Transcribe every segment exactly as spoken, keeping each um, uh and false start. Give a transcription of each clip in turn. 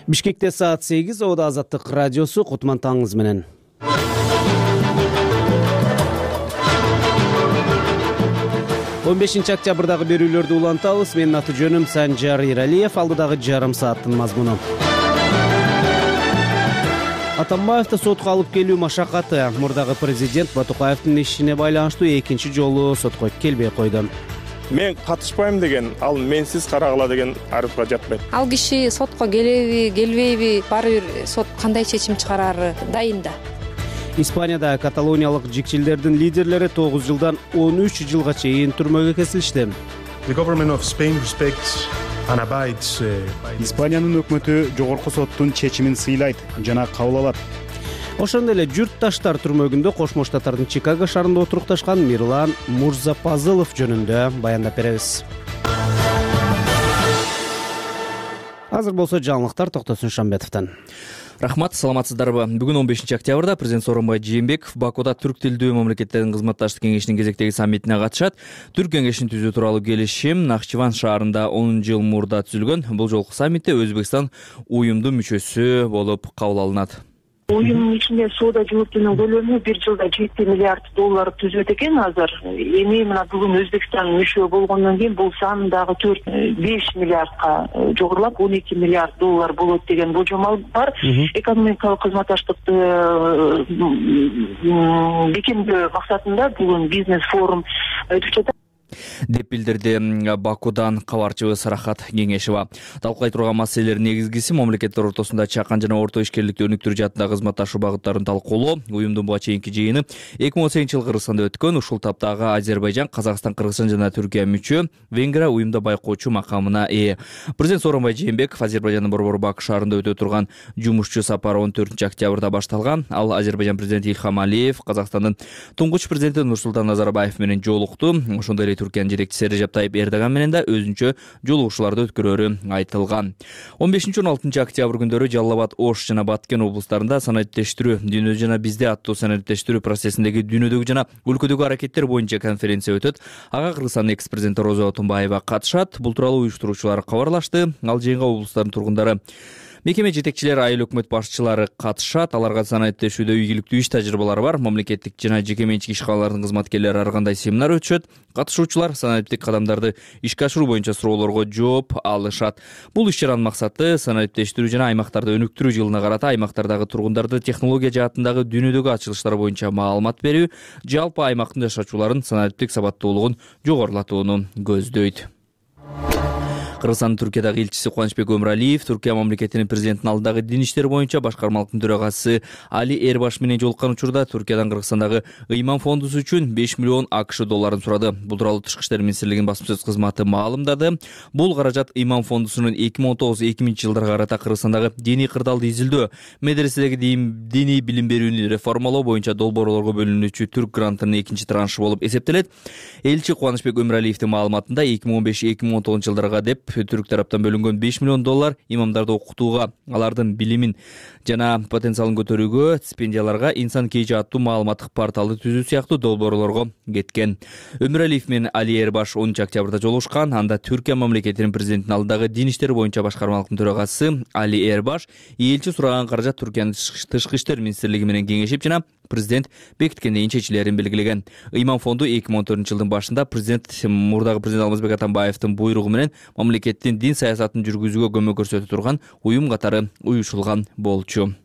Бишкекте саат сегиз, Ода Азаттык радиосу, Кутман таңыңыз менен. он бешинчи октябрдагы берүүлөрдү улантабыз. Менин аты жөнүм Санжар Иралиев. Алдыдагы жарым сааттын мазмуну. Атамбаевди сотко алып келүү машакаты. Мурдагы президент Батукаевдин ишине байланыштуу экинчи жолу сотко келбей койду. Мен катышпайм деген, ал менсиз карагыла деген арызга жатпайт. Ал киши сотко келеби, келбейби, баары бир сот кандай чечим чыгарары дайын да. Испанияда каталониялык жикчилдердин лидерлери тогуз жылдан он үч жылга чейин түрмөгө кесилишти. Испаниянын өкмөтү жогорку соттун чечимин сыйлайт жана кабыл алат. Ошондой эле журтташтар түрмөгүндө Кошмо Штаттардын Чикаго шаарында отурукташкан Мирлан Мурзапазылов жөнүндө баяндап беребиз. Азыр болсо жаңылыктар Токтосун Шамбетовдон. Рахмат, саламатсыздарбы? Бүгүн он бешинчи октябрда президент Сооронбай Жээнбеков Бакуда түрк тилдүү мамлекеттердин кызматташтык кеңешинин кезектеги саммитине катышат. Түрк кеңешин түзүү тууралуу келишим Нахчыван шаарында он жыл мурда түзүлгөн. Бул жолку саммитте Өзбекстан уюмдун мүчөсү болуп кабыл алынат. Уюмдун ичинде соода жүгүртүүнүн көлөмү бир жылда жети миллиард доллар түзөт экен азыр. Эми мына бүгүн Өзбекстан мүчө болгондон кийин бул сан дагы төрт беш миллиардка жогорулап он эки миллиард доллар болот деген болжол бар. Экономикалык кызматташтыкты бекемдөө максатында бүгүн бизнес форум өтүп жатат деп билдирди Бакудан кабарчыбыз Рахат Кеңешева. Талкуулай турган маселелердин негизгиси мамлекеттер ортосунда чакан жана орто ишкерликти өнүктүрүү жаатында кызматташуу багыттарын талкуулоо. Уюмдун буга чейинки жыйыны эки миң он сегизинчи жылы Кыргызстанда өткөн. Ушул таптагы Азербайжан, Казакстан, Кыргызстан жана Түркия мүчө, Венгрия уюмда байкоочу макамына ээ. Президент Сооронбай Жээнбеков Азербайжандын Борбор Баку шаарында өтө турган жумушчу сапары он төртүнчү октябрда башталган. Ал Азербайжан президенти Илхам Алиев, Казакстандын туңгуч президенти Нурсултан Назарбаев менен жолукту. Ошондой эле Түркиянын жетекчиси Режеп Тайип Эрдоган менен да өзүнчө жолугушууларды өткөрөрү айтылган. он бешинчи он алтынчы октябрь күндөрү Жалал Абад, Ош жана Баткен облустарында санариптештирүү, дүйнө жана бизде аттуу санариптештирүү процессиндеги дүйнөдөгү жана өлкөдөгү аракеттер боюнча конференция өтөт. Ага Кыргызстандын экс-президенти Роза Отунбаева катышат. Бул тууралуу уюштуруучулар кабарлашты. Ал жыйынга облустардын тургундары, мекеме жетекчилери, айыл өкмөт башчылары катышат. Аларга санариптешүүдө ийгиликтүү иш тажрыйбалары бар мамлекеттик жана жеке менчик ишканалардын кызматкерлери ар кандай семинар өтүшөт. Катышуучулар санариптик кадамдарды ишке ашыруу боюнча суроолорго жооп алышат. Бул иш-чаранын максаты санариптештирүү жана аймактарды өнүктүрүү жылына карата аймактардагы тургундарды технология жаатындагы дүйнөдөгү ачылыштар боюнча маалымат берүү, жалпы аймактын жашоочуларын санариптик сабаттуулугун жогорулатууну көздөйт. Кыргызстандын Түркиядагы элчиси Кубанычбек Өмүралиев Түркия мамлекетинин президентинин алдындагы дин иштери боюнча башкармалыктын төрагасы Али Эрбаш менен жолуккан учурда Түркиядан Кыргызстандагы ыйман фондусу үчүн беш миллион АКШ долларын сурады. Бул тууралуу Тышкы иштер министрлигинин басма сөз кызматы маалымдады. Бул каражат ыйман фондусунун эки миң он тогуз эки миңинчи жылдарга карата Кыргызстандагы диний кырдаалды изилдөө, медреседеги диний билим берүүнү реформалоо боюнча долбоорлорго бөлүнүүчү Түрк грантынын экинчи траншы болуп эсептелет. Элчи Кубанычбек Өмүралиевдин маалыматында эки миң он беш эки миң он тогузунчу жылдарга деп түрк тараптан бөлүнгөн беш миллион доллар имамдарды окутууга, алардын билимин жана потенциалын көтөрүүгө, стипендияларга, инсан кейжи аттуу маалыматтык порталды түзүү сыяктуу долбоорлорго кеткен. Өмүралиев менен Али Эрбаш онунчу октябрда жолугушкан. Анда Түркия мамлекетинин президентинин алдындагы дин иштери боюнча башкармалыктын төрагасы Али Эрбаш элчи сураган каражат Түркиянын Тышкы иштер министрлиги менен кеңешип жана президент бекиткенден чечилерин белгилеген. Ыйман фонду эки миң он төртүнчү жылдын башында президент мурдагы президент Алмазбек Атамбаевдин буйругу менен мамлекеттин дин саясатын жүргүзүүгө көмөк көрсөтө турган уюм катары уюшулган болчу.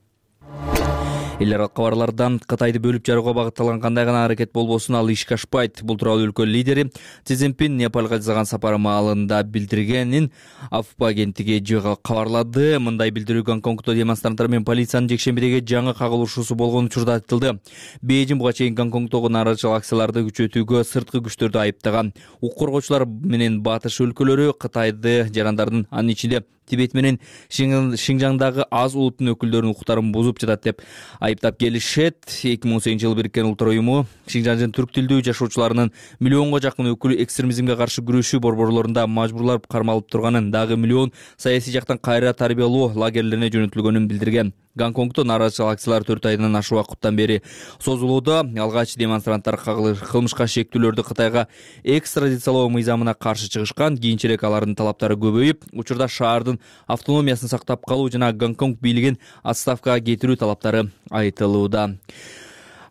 Эл аралык кабарлардан Кытайды бөлүп жарууга багытталган кандай гана аракет болбосун ал ишке ашпайт. Бул тууралуу өлкө лидери Си Цзиньпин Непалга жасаган сапары маалында билдиргенин Афпа агенттиги кабарлады. Мындай билдирүү Гонконгдо демонстранттар менен полициянын жекшембидеги жаңы кагылышуусу болгон учурда айтылды. Бейжиң буга чейин Гонконгдогу нааразычылык акцияларды күчөтүүгө сырткы күчтөрдү айыптаган. Укук коргоочулар менен батыш өлкөлөрү Кытайды жарандардын, анын ичинде Тибет менен Шинжаңдагы аз улуттун өкүлдөрүнүн укуктарын бузуп жатат деп айыптап келишет. эки миң он сегизинчи жылы Бириккен Улуттар уюму Шинжаңдын түрк тилдүү жашоочуларынын миллионго жакын өкүлү экстремизмге каршы күрөшүү борборлорунда мажбурлап кармалып турганын, дагы миллион саясий жактан кайра тарбиялоо лагерлерине жөнөтүлгөнүн билдирген. Гонконгдо нааразычылык акциялары төрт айдан ашык убакыттан бери созулууда. Алгач демонстранттар кылмышка шектүүлөрдү Кытайга экстрадициялоо мыйзамына каршы чыгышкан. Кийинчерээк алардын талаптары көбөйүп, учурда шаардын автономиясын сактап калуу жана Гонконг бийлигин отставкага кетирүү талаптары айтылууда.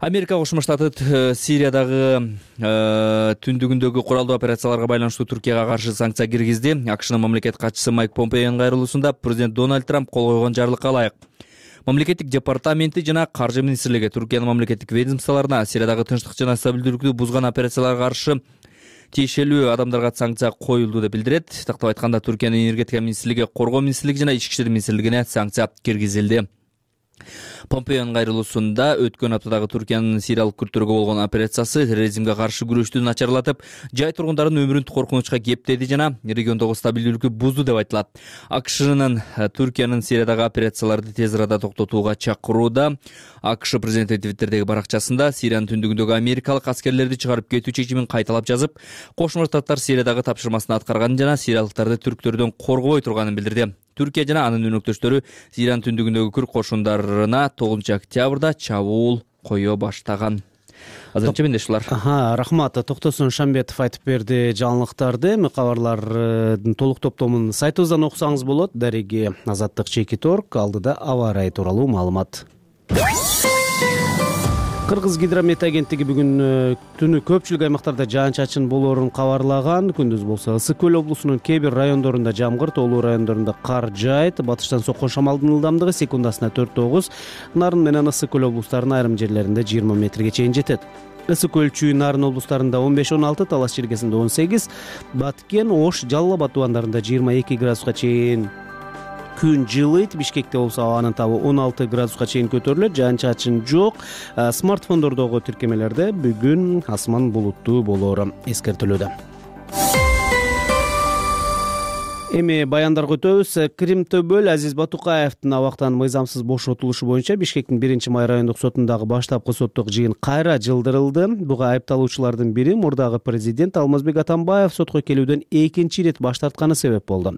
Америка Кошмо Штаты Сириядагы түндүгүндөгү куралдуу операцияларга байланыштуу Түркияга каршы санкция киргизди. АКШнын мамлекет катчысы Майк Помпеонун кайрылуусунда президент Дональд Трамп кол койгон жарлыкка ылайык мамлекеттик департаменти жана каржы министрлиги Түркиянын мамлекеттик ведомстволоруна Сириядагы тынчтык жана стабилдүүлүктү бузган операцияларга каршы тиешелүү адамдарга санкция коюлду деп билдирет. Тактап айтканда, Түркиянын энергетика министрлиги, коргоо министрлиги жана ички иштер министрлигине санкция киргизилди. Помпеонун кайрылуусунда өткөн аптадагы Түркиянын сириялык күрттөргө болгон операциясы терроризмге каршы күрөштү начарлатып, жай тургундардын өмүрүн коркунучка кептеди жана региондогу стабилдүүлүккү бузду деп айтылат. АКШнын Түркиянын Сириядагы операцияларды тез арада токтотууга чакырууда. АКШ президенти Твиттердеги баракчасында Сириянын түндүгүндөгү америкалык аскерлерди чыгарып кетүү чечимин кайталап жазып, Кошмо Штаттар Сириядагы тапшырмасын аткарганын жана сириялыктарды түрктөрдөн коргобой турганын билдирди. Түркия жана анын өнөктөштөрү Сириянын түндүгүндөгү күрд кошундарына тогузунчу октябрда чабуул кое баштаган. Азырынча менде ушулар. Аха, рахмат. Токтосун Шамбетов айтып берди жаңылыктарды. Эми кабарлардын толук топтомун сайтыбыздан окусаңыз болот. Дареги Азаттык чеки торг, алдыда аба ырайы тууралуу маалымат. Кыргыз гидромет агенттиги бүгүн түнү көпчүлүк аймактарда жаан-чачын болоорун кабарлаган. Күндүз болсо Ысык көл облусунун кээ бир райондорунда жамгыр, тоолуу райондорунда кар жаайт. Батыштан соккон шамалдын ылдамдыгы секундасына төрт тогуз, Нарын менен Ысык көл облустарынын айрым жерлеринде жыйырма метрге чейин жетет. Ысык көл, Чүй, Нарын облустарында он беш он алты, Талас чергесинде он сегиз, Баткен, Ош, Жалал Абад тубандарында жыйырма эки градуска чейин күн жылыйт. Бишкекте болсо абанын табы он алты градуска чейин көтөрүлөт, жаан-чачын жок. Смартфондордогу тиркемелерде бүгүн асман булуттуу болоору эскертилүүдө. Эми баяндарга өтөбүз. Крим Төбөл Азиз Батукаевдин абактан мыйзамсыз бошотулушу боюнча Бишкектин биринчи май райондук сотундагы баштапкы соттук жыйын кайра жылдырылды. Буга айыпталуучулардын бири мурдагы президент Алмазбек Атамбаев сотко келүүдөн экинчи ирет баш тартканы себеп болду.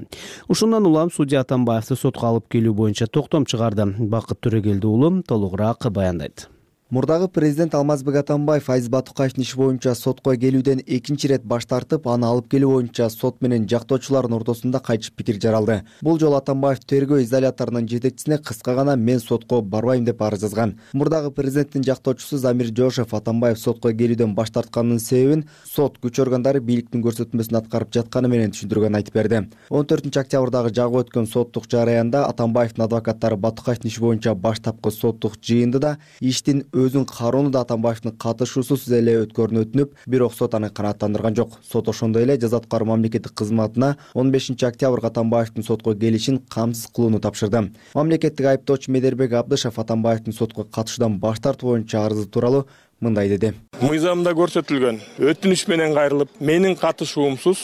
Ушундан улам судья Атамбаевди сотко алып келүү боюнча токтом чыгарды. Бакыт Төрөгелди уулу толугураак баяндайт. Мурдагы президент Алмазбек Атамбаев Азиз Батукаевдин иши боюнча сотко келүүдөн экинчи ирет баш тартып, аны алып келүү боюнча сот менен жактоочулардын ортосунда кайтыш пикир жаралды. Бул жолу Атамбаев тергөө изоляторунун жетекчисине кыска гана «мен сотко барбайм» деп арыз жазган. Мурдагы президенттин жактоочусу Замир Жошев Атамбаев сотко келүүдөн баш тартканынын себебин сот күч органдары бийликтин көрсөтмөсүн аткарып жатканы менен түшүндүргөнүн айтып берди. он төртүнчү октябрдагы жагып өткөн соттук жараянда Атамбаевдин адвокаттары Батукаевдин иши боюнча баштапкы соттук жыйынды да иштин өзүн кароону да Атамбаевдин катышуусуз эле өткөрүүнү өтүнүп, бирок сот аны канааттандырган жок. Сот ошондой эле жаза аткаруу мамлекеттик кызматына он бешинчи октябрга Атамбаевдин сотко келишин камсыз кылууну тапшырды. Мамлекеттик айыптоочу Медербек Абдышев Атамбаевдин сотко катышуудан баш тартуу боюнча арызы тууралуу мындай деди. Мыйзамда көрсөтүлгөн өтүнүч менен кайрылып, менин катышуумсуз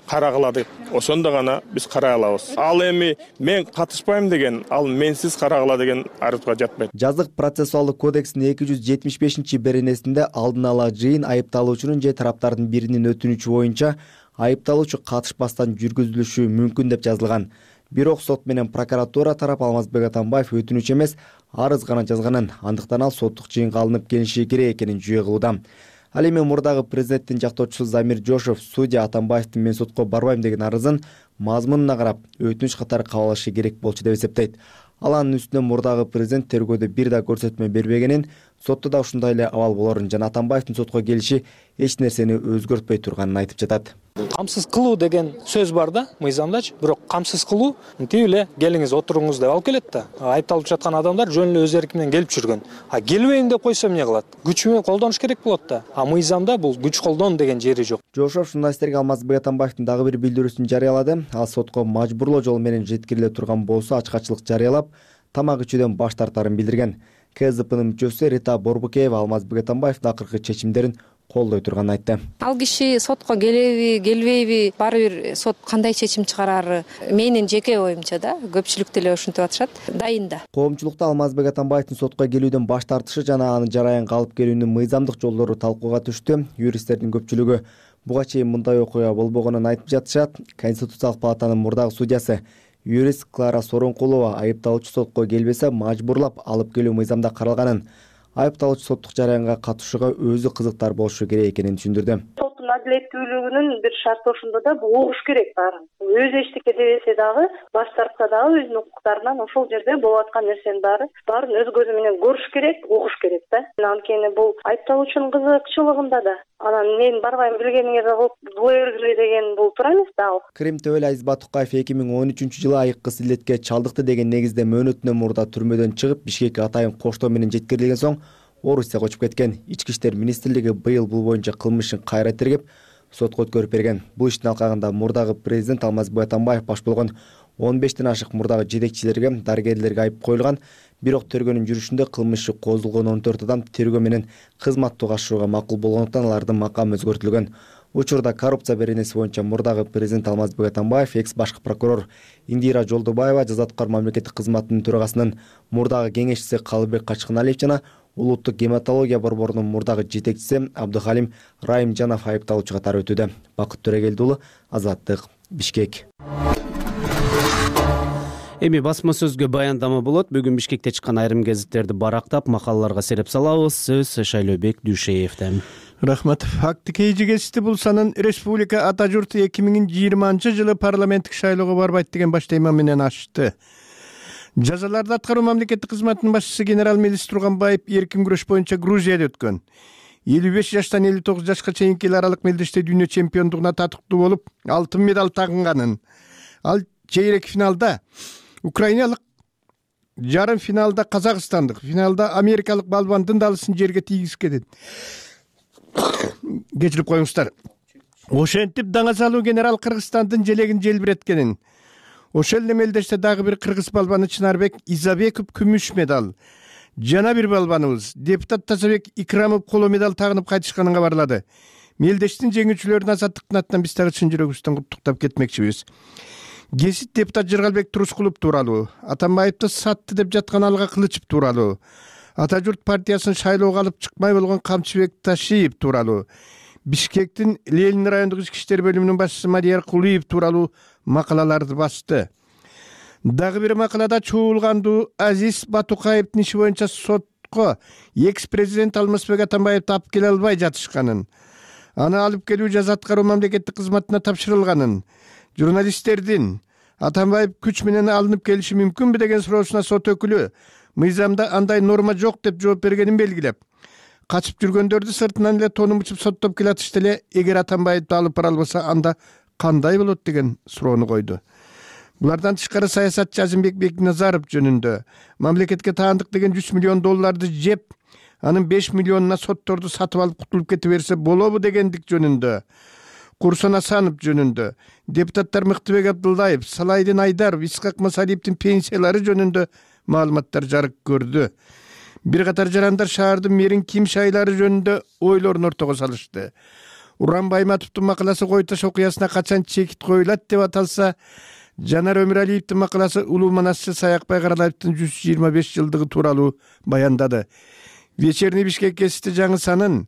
карагыла деп, ошондо гана биз карай алабыз. Ал эми мен катышпайм деген, ал менсиз карагыла деген арызга жатпайт. Жазык процессуалдык кодекстин эки жүз жетимиш бешинчи беренесинде алдын ала жыйын айыпталуучунун же тараптардын биринин өтүнүчү боюнча айыпталуучу катышпастан жүргүзүлүшү мүмкүн деп жазылган. Бирок сот менен прокуратура тарап Алмазбек Атамбаев өтүнүч эмес, арыз гана жазганын, андыктан ал соттук жыйынга алынып келиши керек экенин жүйө кылууда. Ал эми мурдагы президенттин жактоочусу Замир Жошев судья Атамбаевдин «мен сотко барбайм» деген арызын мазмунуна карап өтүнүч катары кабыл алышы керек болчу деп эсептейт. Ал анын үстүнө мурдагы президент тергөөдө бир да көрсөтмө бербегенин, сотто да ушундай эле абал болорун жана Атамбаевдин сотко келиши эч нерсени өзгөртпөй турганын айтып жатат. Камсыз кылуу деген сөз бар да мыйзамдачы, бирок камсыз кылуу тип эле келиңиз отуруңуз деп алып келет да. Айыпталып жаткан адамдар жөн эле өз эрки менен келип жүргөн. А келбейм деп койсо эмне кылат? Күч менен колдонуш керек болот да. А мыйзамда бул күч колдон деген жери жок. Жошов журналисттерге Алмазбек Атамбаевдин дагы бир билдирүүсүн жарыялады. Ал сотко мажбурлоо жол менен жеткириле турган болсо ачкачылык жарыялап, тамак ичүүдөн баш тартарын билдирген. КСДПнын мүчөсү Рита Борбукеева Алмазбек Атамбаевдин акыркы чечимдерин колдой турганын айтты. Ал киши сотко келеби, келбейби, баары бир сот кандай чечим чыгарары менин жеке оюмча да, көпчүлүк деле ушинтип атышат, дайын да. Коомчулукта Алмазбек Атамбаевдин сотко келүүдөн баш тартышы жана аны жараянга алып келүүнүн мыйзамдык жолдору талкууга түштү. Юристтердин көпчүлүгү буга чейин мындай окуя болбогонун айтып жатышат. Конституциялык палатанын мурдагы судьясы юрист Клара Сооронкулова айыпталуучу сотко келбесе мажбурлап алып келүү мыйзамда каралганын, айыпталуучу соттук жараянга катышууга өзү кызыктар болушу керек экенин түшүндүрдү. Соттун адилеттүүлүгүнүн бир шарты ошондо да бул угуш керек баарын. Өзү эчтеке дебесе дагы, баш тартса дагы өзүнүн укуктарынан ошол жерде болуп аткан нерсенин баары баарын өз көзү менен көрүш керек, угуш керек да. Анткени бул айыпталуучунун кызыкчылыгында да. Анан мен барбайм билгениңерди кылып була бергиле деген бул туура эмес да ал. Крим төбөл Азиз Батукаев эки миң он үчүнчү жылы айыккыс илетке чалдыкты деген негизде мөөнөтүнөн мурда түрмөдөн чыгып, Бишкекке атайын коштоо менен жеткирилген соң Орусияга көчүп кеткен. Ички иштер министрлиги быйыл бул боюнча кылмышын кайра тергеп, сотко өткөрүп берген. Бул иштин алкагында мурдагы президент Алмазбек Атамбаев баш болгон он бештен ашык мурдагы жетекчилерге, дарыгерлерге айып коюлган. Бирок тергөөнүн жүрүшүндө кылмышы козулгон он төрт адам тергөө менен кызматтуу катышууга макул болгондуктан алардын макамы өзгөртүлгөн. Учурда коррупция беренеси боюнча мурдагы президент Алмазбек Атамбаев, экс башкы прокурор Индира Жолдубаева, жаза аткаруу мамлекеттик кызматынын төрагасынын мурдагы кеңешчиси Калыбек Качканалиев жана Улуттук гематология борборунун мурдагы жетекчиси Абдыхалим Райымжанов айыпталуучу катары өтүүдө. Бакыт Төрөгелди уулу, Азаттык, Бишкек. Эми басма сөзгө баяндама болот. Бүгүн Бишкекте чыккан айрым гезиттерди барактап, макалаларга сереп салабыз. Сөз Шайлообек Дүйшеевден. Рахмат. Факты кейжи гезити булсанын республика ата журту эки миң жыйырманчы жылы парламенттик шайлоого барбайт деген баш тема менен ачты. Жазаларды аткаруу мамлекеттик кызматынын башчысы генерал-милис Турганбаев эркин күрөш боюнча Грузияда өткөн. элүү беш жаштан элүү тогуз жашка чейинки эл аралык мелдеште дүйнө чемпиондугуна татыктуу болуп, алтын медаль тагынганын. Ал чейрек финалда украиналык, жарым финалда казакстандык, финалда америкалык балбандын далысын жерге тийгизген. Кечирип коюңуздар. Ошентип даңа салуу генерал Кыргызстандын желегин желбиреткенин. Ошол эле мелдеште дагы бир кыргыз балбаны Чынарбек Изабеков күмүш медаль, жана бир балбаныбыз депутат Тазабек Икрамов коло медаль тагынып кайтышканын кабарлады. Мелдештин жеңүүчүлөрүн азаттыктын атынан биз дагы чын жүрөгүбүздөн куттуктап кетмекчибиз. Гезит депутат Жыргалбек Турускулов тууралуу, Атамбаевди сатты деп жаткан Алга Кылычев тууралуу, Ата журт партиясын шайлоого алып чыкмай болгон Камчыбек Ташиев тууралуу, Бишкектин Ленин райондук ички иштер бөлүмүнүн башчысы Мария Кулиев тууралуу макалаларды басты. Дагы бир макалада чуулгандуу Азиз Батукаевдин иши боюнча сотко экс-президент Алмазбек Атамбаевди алып келе албай жатышканын, аны алып келүү жаза аткаруу мамлекеттик кызматына тапшырылганын, журналисттердин Атамбаев күч менен алынып келиши мүмкүнбү деген суроосуна сот өкүлү мыйзамда андай норма жок деп жооп бергенин белгилеп, качып жүргөндөрдү сыртынан эле тонун мучуп соттоп келатышты эле, эгер Атамбаевди алып бара албаса анда кандай болот деген суроону койду. Булардан тышкары саясатчы Азимбек Бекназаров жөнүндө мамлекетке таандык деген жүз миллион долларды жеп, анын беш миллионуна сотторду сатып алып кутулуп кете берсе болобу дегендик жөнүндө, Курсон Асанов жөнүндө, депутаттар Мыктыбек Абдуллаев, Салайдин Айдаров, Исхак Масалиевдин пенсиялары жөнүндө маалыматтар жарык көрдү. Бир катар жарандар шаардын мэрин ким шайлары жөнүндө ойлорун ортого салышты. Уран Байматовдун макаласы Кой Таш окуясына качан чекит коюлат деп аталса, Жанар Өмүралиевдин макаласы Улуу манасчы Саякбай Каралаевдин жүз жыйырма беш жылдыгы тууралуу баяндады. Вечерний Бишкек гезити жаңысанын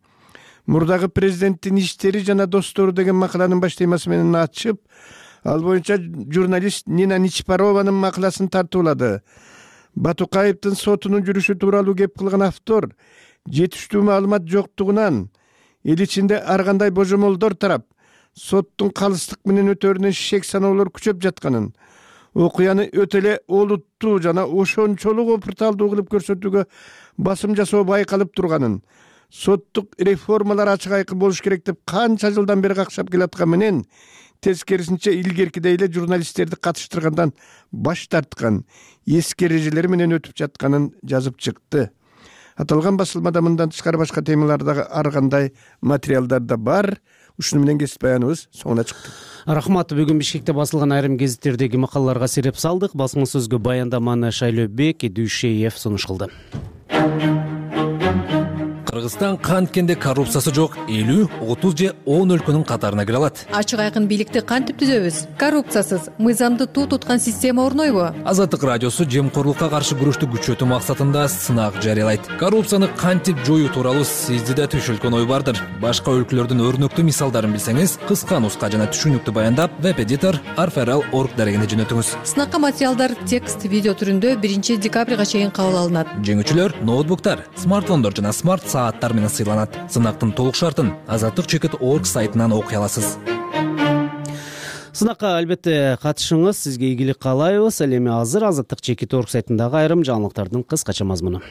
мурдагы президенттин иштери жана достору деген макаланын баш темасы менен ачып, ал боюнча журналист Нина Ничпарованын макаласын тартуулады. Батукаевдин сотунун жүрүшү тууралуу кеп кылган автор жетиштүү маалымат жоктугунан эл ичинде ар кандай божомолдор тарап, соттун калыстык менен өтөрүнөн шек саноолор күчөп жатканын, окуяны өтө эле олуттуу жана ошончолук опурталдуу кылып көрсөтүүгө басым жасоо байкалып турганын, соттук реформалар ачык айкын болуш керек деп канча жылдан бери какшап келаткан менен, тескерисинче илгеркидей эле журналисттерди катыштыргандан баш тарткан, эски эрежелери менен өтүп жатканын жазып чыкты. Аталган басылмада мындан тышкары башка темалардагы ар кандай материалдар да бар. Ушуну менен кесип баяныбыз соңуна чыкты. Рахмат. Бүгүн Бишкекте басылган айрым гезиттердеги макалаларга сереп салдык. Басма сөзгө баяндаманы Шайлообек Дүйшеев сунуш кылды. Кыргызстан канткенде коррупциясы жок элүү, отуз же он өлкөнүн катарына кире алат. Ачык айкын бийликти кантип түзөбүз? Коррупциясыз, мыйзамды туу туткан система орнойбу? Азаттык радиосу жемкорлукка каршы күрөштү күчөтүү максатында сынак жарыялайт. Коррупцияны кантип жоюу тууралуу сизди да түшүлгөн ой бардыр. Башка өлкөлөрдүн өрнөктүү мисалдарын билсеңиз, кыска нуска жана түшүнүктүү баяндап веб-эдитор арферал точка орг дарегине жөнөтүңүз. Сынакка материалдар текст, видео түрүндө биринчи декабрга чейин кабыл алынат. Жеңүүчүлөр ноутбуктар, смартфондор жана смарт сааттар менен сыйланат. Сынактын толук шартын азаттык чекит точка орг сайтынан окуй аласыз. Сынакка албетте катышыңыз, сизге ийгилик каалайбыз. Ал эми азыр азаттык чекит точка орг сайтындагы айрым жаңылыктардын кыскача мазмуну.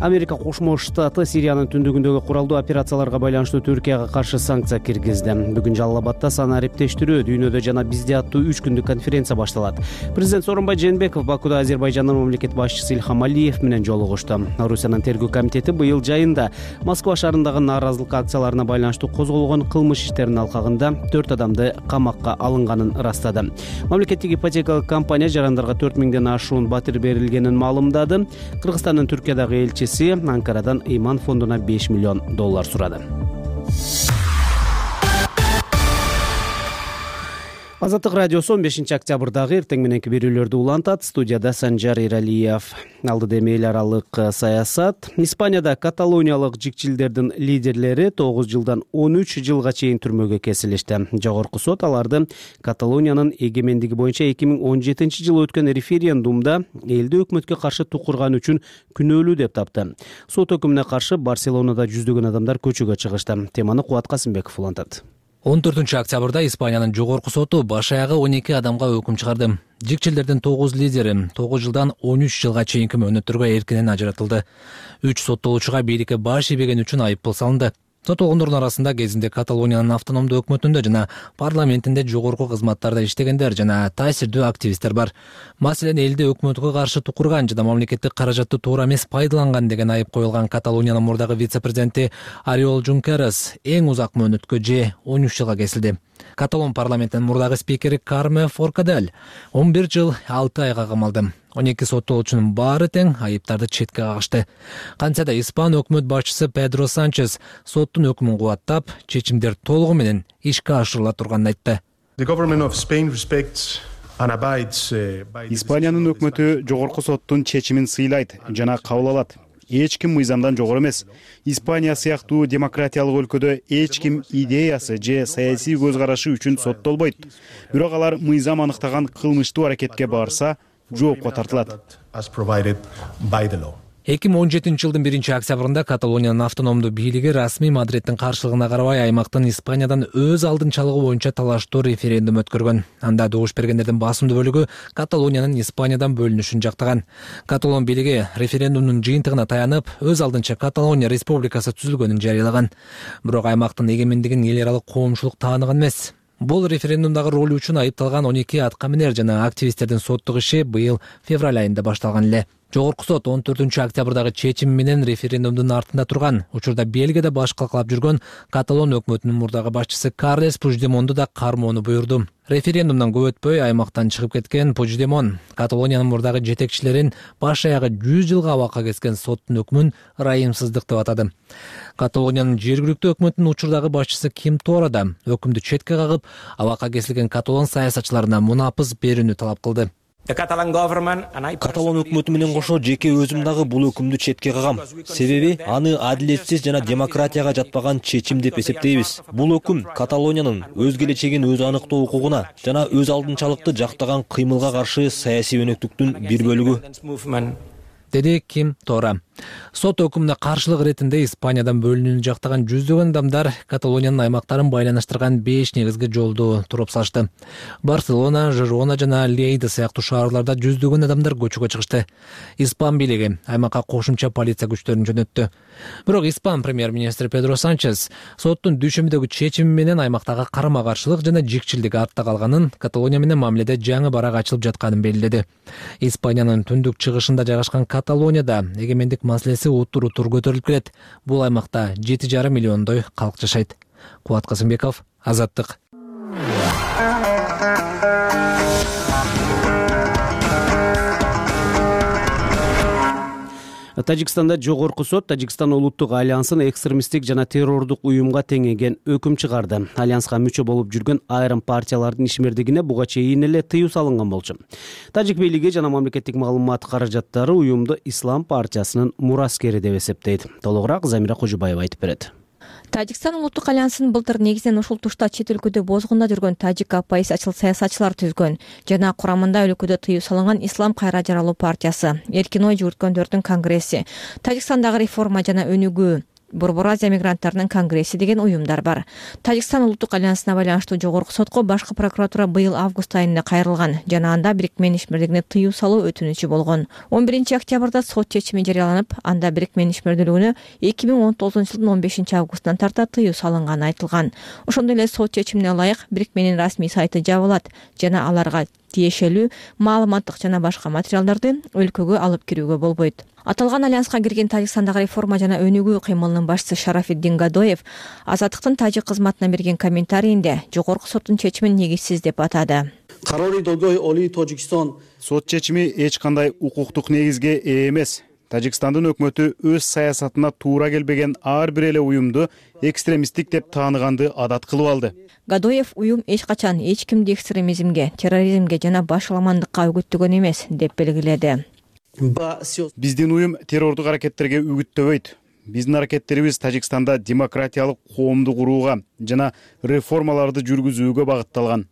Америка Кошмо Штаты Сириянын түндүгүндөгү куралдуу операцияларга байланыштуу Түркияга каршы санкция киргизди. Бүгүн Жалал-Абадда сана ариптештирүү дүйнөдө жана бизде аттуу үч күндүк конференция башталат. Президент Сооронбай Жээнбеков Бакуда Азербайжандын мамлекет башчысы Ильхам Алиев менен жолугушту. Орусиянын тергөө комитети быйыл жайында Москва шаарындагы нааразылык акцияларына байланыштуу козголгон кылмыш иштеринин алкагында төрт адамды камакка алынганын ырастады. Мамлекеттик ипотекалык компания жарандарга төрт миңден ашуун батир берилгенин маалымдады. Кыргызстандын Түркиядагы элчиси Анкарадан Ыйман фондуна беш миллион доллар сурады. Азаттык радиосу он бешинчи октябрдагы эртең мененки берүүлөрдү улантат. Студияда Санжар Иралиев. Алдыда эми эл аралык саясат. Испанияда каталониялык жикчилдердин лидерлери тогуз жылдан он үч жылга чейин түрмөгө кесилишти. Жогорку сот аларды Каталониянын эгемендиги боюнча эки миң он жетинчи жылы өткөн референдумда элди өкмөткө каршы тукурган үчүн күнөөлүү деп тапты. Сот өкүмүнө каршы Барселонада жүздөгөн адамдар көчөгө чыгышты. Теманы Кубат Касымбеков улантат. он төртүнчү октябрда Испаниянын жогорку соту баш аягы он эки адамга өкүм чыгарды. Жикчилдердин тогуз лидери тогуз жылдан он үч жылга чейинки мөөнөттөргө эркинен ажыратылды. үч соттолуучуга бийликке баш ийбеген үчүн айыппул салынды. Соттолгондордун арасында кезинде Каталониянын автономдуу өкмөтүндө жана парламентинде жогорку кызматтарда иштегендер жана таасирдүү активисттер бар. Маселен, элди өкмөткө каршы тукурган жана мамлекеттик каражатты туура эмес пайдаланган деген айып коюлган Каталониянын мурдагы вице-президенти Ориол Жункерес эң узак мөөнөткө же он үч жылга кесилди. Каталон парламентинин мурдагы спикери Карме Форкадель он бир жыл алты айга камалды. он эки соттолуучунун баары тең айыптарды четке кагышты. Кантса да испан өкмөт башчысы Педро Санчес соттун өкүмүн кубаттап, чечимдер толугу менен ишке ашырыла турганын айтты. Испаниянын өкмөтү жогорку соттун чечимин сыйлайт жана кабыл алат. Эч ким мыйзамдан жогору эмес. Испания сыяктуу демократиялык өлкөдө эч ким идеясы же саясий көз карашы үчүн соттолбойт. Бирок алар мыйзам аныктаган кылмыштуу аракетке барса, жоопко тартылат. эки миң он жетинчи жылдын биринчи октябрында Каталониянын автономдуу бийлиги расмий Мадридтин каршылыгына карабай аймактын Испаниядан өз алдынчалыгы боюнча талаштуу референдум өткөргөн. Анда добуш бергендердин басымдуу бөлүгү Каталониянын Испаниядан бөлүнүшүн жактаган. Каталон бийлиги референдумдун жыйынтыгына таянып, өз алдынча Каталония республикасы түзүлгөнүн жарыялаган. Бирок аймактын эгемендигин эл аралык коомчулук тааныган эмес. Бул референдумдагы ролу үчүн айыпталган он эки аткаминер жана активисттердин соттук иши быйыл февраль айында башталган эле. Жогорку сот он төртүнчү октябрдагы чечим менен референдумдун артында турган. Учурда Бельгияда баш калкалап жүргөн Каталон өкмөтүнүн мурдагы башчысы Карлес Пучдемонду да кармоону буйрду. Референдумдан көп өтпөй аймактан чыгып кеткен Пучдемон Каталониянын мурдагы жетекчилерин баш аягы жүз жылга абакка кескен соттун өкмүн ырайымсыздык деп атады. Каталониянын жергиликтүү өкмөтүнүн учурдагы башчысы Ким Тора да өкүмдү четке кагып, абакка кесилген каталон саясатчыларына мунапыз берүүнү талап кылды. Каталон өкмөтү менен кошо жеке өзүм дагы бул өкүмдү четке кагам. Себеби аны адилетсиз жана демократияга жатпаган чечим деп эсептейбиз. Бул өкүм Каталониянын өз келечегин өзү аныктоо укугуна жана өз алдынчалыкты жактаган кыймылга каршы саясий өнөктүктүн бир бөлүгү, деди Ким Тора. Сот өкүмүнө каршылык иретинде Испаниядан бөлүнүүнү жактаган жүздөгөн адамдар Каталониянын аймактарын байланыштырган беш негизги жолду туруп салышты. Барселона, Жирона жана Лейда сыяктуу шаарларда жүздөгөн адамдар көчөгө чыгышты. Испан бийлиги аймакка кошумча полиция күчтөрүн жөнөттү. Бирок Испан премьер-министри Педро Санчес соттун дүйшөмбүдөгү чечими менен аймактагы карама-каршылык жана жикчилдик артта калганын, Каталония менен мамиледе жаңы барак ачылып жатканын белгиледи. Испаниянын түндүк чыгышында жайгашкан Каталонияда эгемендик маселеси утур-утур көтөрүлүп келет. Бул аймакта жети жарым миллиондой калк жашайт. Кубат Касымбеков, Азаттык. Тажикстанда жогорку сот Тажикстан улуттук альянсын экстремисттик жана террордук уюмга теңеген өкүм чыгарды. Альянска мүчө болуп жүргөн айрым партиялардын ишмердигине буга чейин эле тыюу салынган болчу. Тажик бийлиги жана мамлекеттик маалымат каражаттары уюмду Ислам партиясынын мураскери деп эсептейт. Толугураак Замира Кожубаева айтып берет. Тажикстан улуттук альянсын былтыр негизинен ушул тушта чет өлкөдө бозгунда жүргөн тажик оппозициячыл саясатчылар түзгөн жана курамында өлкөдө тыюу салынган Ислам кайра жаралуу партиясы, эркин ой жүгүрткөндөрдүн конгресси, Тажикстандагы реформа жана өнүгүү, Борбор Азия мигранттарынын конгресси деген уюмдар бар. Тажикстан улуттук альянсына байланыштуу жогорку сотко башкы прокуратура быйыл август айында кайрылган жана анда бирикменин ишмердигине тыюу салуу өтүнүчү болгон. он биринчи октябрда сот чечими жарыяланып, анда бирикменин ишмердүүлүгүнө эки миң он тогузунчу жылдын он бешинчи августунан тарта тыюу салынганы айтылган. Ошондой эле сот чечимине ылайык бирикменин расмий сайты жабылат жана аларга тиешелүү маалыматтык жана башка материалдарды өлкөгө алып кирүүгө болбойт. Аталган альянска кирген Тажикстандагы реформа жана өнүгүү кыймылынын башчысы Шарафиддин Гадоев Азаттыктын тажик кызматына берген комментарийинде жогорку соттун чечимин негизсиз деп атады. Сот чечими эч кандай укуктук негизге ээ эмес. Тажикстандын өкмөтү өз саясатына туура келбеген ар бир эле уюмду экстремисттик деп тааныганды адат кылып алды. Гадоев уюм эч качан эч кимди экстремизмге, терроризмге жана башаламандыкка үгүттөгөн эмес деп белгиледи. Биздин уюм террордук аракеттерге үгүттөбөйт. Биздин аракеттерибиз Тажикстанда демократиялык коомду курууга жана реформаларды жүргүзүүгө багытталган.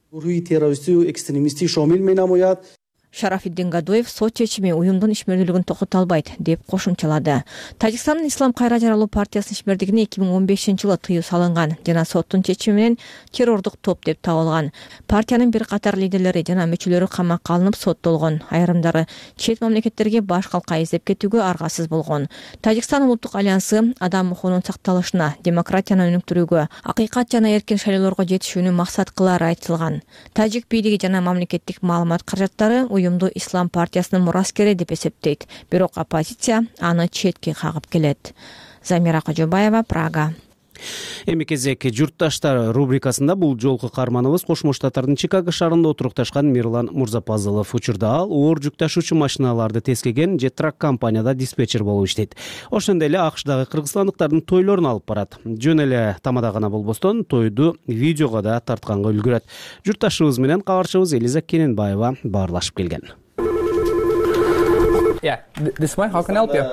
Шарафиддин Гадоев сот чечими уюмдун ишмердүүлүгүн токото албайт деп кошумчалады. Тажикстандын Ислам кайра жаралуу партиясынын ишмердигине эки миң он бешинчи жылы тыюу салынган жана соттун чечими менен террордук топ деп табылган. Партиянын бир катар лидерлери жана мүчөлөрү камакка алынып соттолгон. Айрымдары чет мамлекеттерге баш калка издеп кетүүгө аргасыз болгон. Тажикстан улуттук альянсы адам укугунун сакталышына, демократияны өнүктүрүүгө, акыйкат жана эркин шайлоолорго жетишүүнү максат кылары айтылган. Тажик бийлиги жана мамлекеттик маалымат каражаттары уюмду Ислам партиясынын мураскери деп эсептейт. Бирок оппозиция аны четке кагып келет. Замира Кожубаева, Прага. Эми кезек журтташтар рубрикасында бул жолку каарманыбыз Кошмо Штаттардын Чикаго шаарында отурукташкан Мирлан Мурзапазылов. Учурда ал оор жүк ташуучу машиналарды тескеген Jetrack компанияда диспетчер болуп иштейт. Ошондой эле АКШдагы кыргызстандыктардын тойлорун алып барат. Жөн эле тамада гана болбостон тойду видеого да тартканга үлгүрөт. Журтташыбыз менен кабарчыбыз Элиза Кененбаева баарлашып келген. Yeah, this one. How can I help you?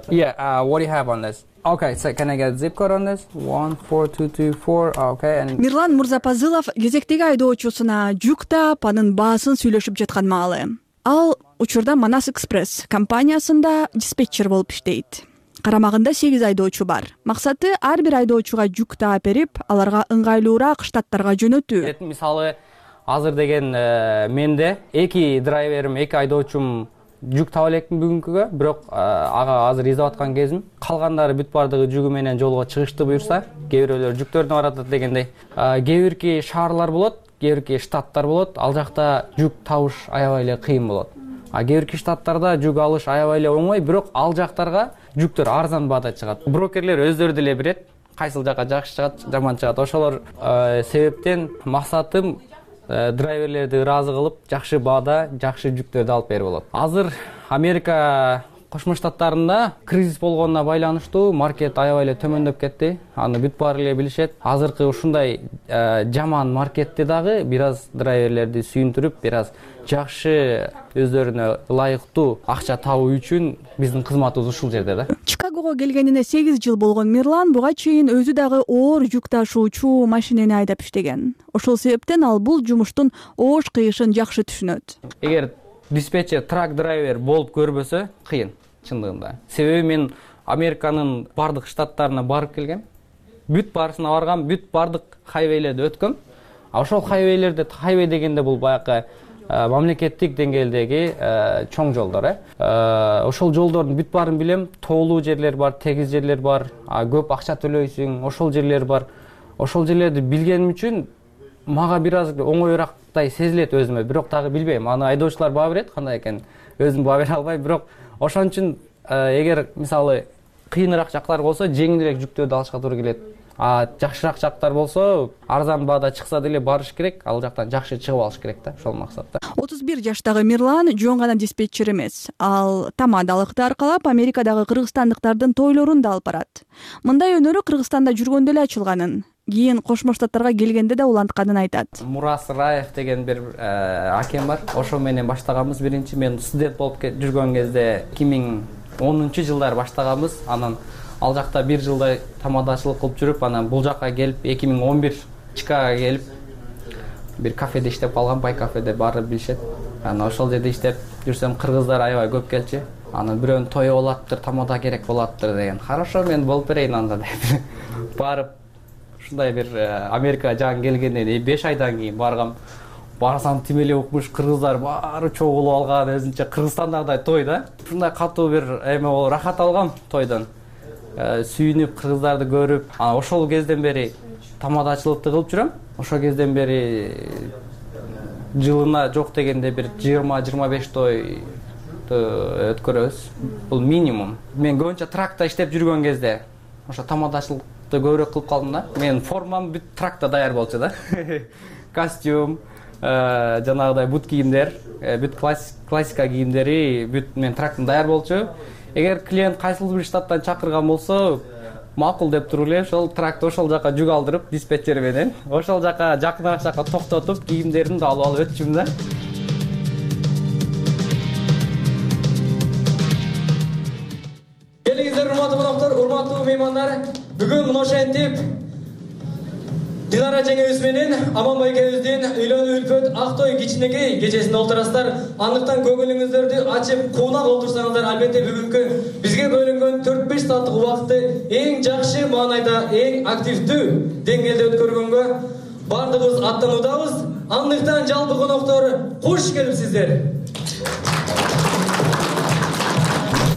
Yeah. Uh, what do you have on this? Okay. So can I get a zip code on this? One four two two four. Okay. And Мирлан Мурзапазылов кезектеги айдоочусуна жүк таап анын баасын сүйлөшүп жаткан маалы. Ал учурда Манас Экспресс компаниясында диспетчер болуп иштейт. Карамагында сегиз айдоочу бар. Максаты ар бир айдоочуга жүк таап берип, аларга ыңгайлуураак штаттарга жөнөтүү. Мисалы, азыр деген менде эки драйверим, эки айдоочум жүк таба элекмин бүгүнкүгө, бирок ага азыр издеп аткан кезим. Калгандары бүт бардыгы жүгү менен жолго чыгышты буюрса, кээ бирөөлөр жүктөрүнө баратат дегендей. Кээ бирки шаарлар болот, кээ бирки штаттар болот. Ал жакта жүк табыш аябай эле кыйын болот. А кээ бирки штаттарда жүк алыш аябай эле оңой, бирок ал жактарга жүктөр арзан баада чыгат. Брокерлер өздөрү деле билет, кайсыл жака жакшы чыгат, жаман чыгат. Ошолор себептен максатым драйверлерди ыраазы кылып, жакшы баада, жакшы жүктөрдү алып берип болот. Азыр Америка Кошмо Штаттарында кризис болгонуна байланыштуу маркет аябай эле төмөндөп кетти. Аны бүт баары эле билишет. Азыркы ушундай жаман маркетти дагы бир аз драйверлерди сүйүндүрүп, бир аз жакшы өздөрүнө ылайыктуу акча табуу үчүн биздин кызматыбыз ушул жерде да. Чикагого келгенине сегиз жыл болгон Мирлан буга чейин өзү дагы оор жүк ташуучу машинени айдап иштеген. Ошол себептен ал бул жумуштун оош кыйышын жакшы түшүнөт. Эгер диспетчер трак драйвер болуп көрбөсө кыйын чындыгында. Себеби мен Американын бардык штаттарына барып келгем. Бүт баарысына баргам, бүт бардык хайвейлерди өткөм. А ошол хайвейлерде, хайвей дегенде бул баягы мамлекеттик деңгээлдеги чоң жолдор, э. Ошол жолдордун бүт баарын билем. Тоолуу жерлер бар, тегиз жерлер бар, көп акча төлөйсүң, ошол жерлер бар. Ошол жерлерди билгеним үчүн мага бир аз оңоюраактай сезилет өзүмө, бирок дагы билбейм. Аны айдоочулар баа берет, кандай экен өзүм баа бере албайм, бирок ошон үчүн эгер мисалы кыйыныраак жактар болсо жеңилирээк жүктөрдү алышка туура келет. а жакшыраак жактар болсо арзан баада чыкса деле барыш керек, ал жактан жакшы чыгып алыш керек да, ошол максатта. отуз бир жаштагы Мирлан жөн гана диспетчер эмес, ал тамадалыкты аркалап Америкадагы кыргызстандыктардын тойлорун да алып барат. Мындай өнөрү Кыргызстанда жүргөндө эле ачылганын, кийин Кошмо Штаттарга келгенде да улантканын айтат. Мурас Раев деген бир акем бар, ошо менен баштаганбыз. Биринчи мен студент болуп жүргөн кезде эки миң онунчу жылдары баштаганбыз. Анан ал жакта бир жылдай тамадачылык кылып жүрүп, анан бул жакка келип эки миң он бир Чикагого келип бир кафеде иштеп калгам, бай кафеде баары билишет. Анан ошол жерде иштеп жүрсөм кыргыздар аябай көп келчү. Анан бирөөнүн тою болоптур, тамада керек болоптур деген. Хорошо, мен болуп берейин анда деп барып ушундай бир Америкага жаңы келгенден беш айдан кийин баргам. Барсам тим эле укмуш кыргыздар баары чогулуп алган, өзүнчө Кыргызстандагыдай той да. Ушундай катуу бир эме болуп рахат алгам тойдон. Сүйүнүп кыргыздарды көрүп, анан ошол кезден бери тамадачылыкты кылып жүрөм. Ошол кезден бери жылына жок дегенде бир жыйырма жыйырма беш той өткөрөбүз. Бул минимум. Мен көбүнчө тракта иштеп жүргөн кезде ошо тамадачылыкты көбүрөөк кылып калдым да. Менин формам бүт тракта даяр болчу да. Костюм, жанагыдай бут кийимдер, бүт классика кийимдери бүт мен трактын даяр болчу. Эгер клиент кайсыл бир штаттан чакырган болсо, макул деп туруп эле ошол трактты ошол жака жүк алдырып, диспетчер менен ошол жака жакыныраак жака токтотуп, кийимдерин да алып алып өтчүм да. Келиңиздер, урматтуу коноктор, урматтуу меймандар. Бүгүн ошентип Динара жеңебиз менен Аманбай экөөбүздүн үйлөнүү үлпөт Актой кичинекей кечесинде олтурасыздар. Андыктан көңүлүңүздөрдү ачып, куунак олтурсаңыздар, албетте бүгүнкү бизге бөлүнгөн төрт беш сааттык убакытты эң жакшы маанайда, эң активдүү деңгээлде өткөргөнгө бардыгыбыз аттануудабыз. Андыктан жалпы коноктор куш келипсиздер.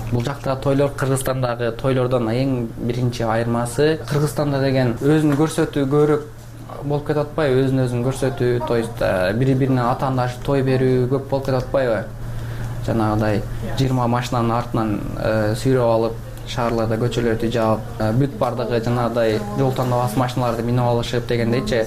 Бул жакта тойлор Кыргызстандагы тойлордон эң биринчи айырмасы, Кыргызстанда деген өзүн көрсөтүү көбүрөөк болуп кетип атпайбы, өзүн өзүн көрсөтүү, то есть бири-бирине атаандаш той берүү көп болуп кетип атпайбы? Жанагыдай жыйырма машинанын артынан сүйрөп алып, шаарларда көчөлөрдү жаап, бүт бардыгы жанагыдай жол тандабас машиналарды минип алышып дегендейчи,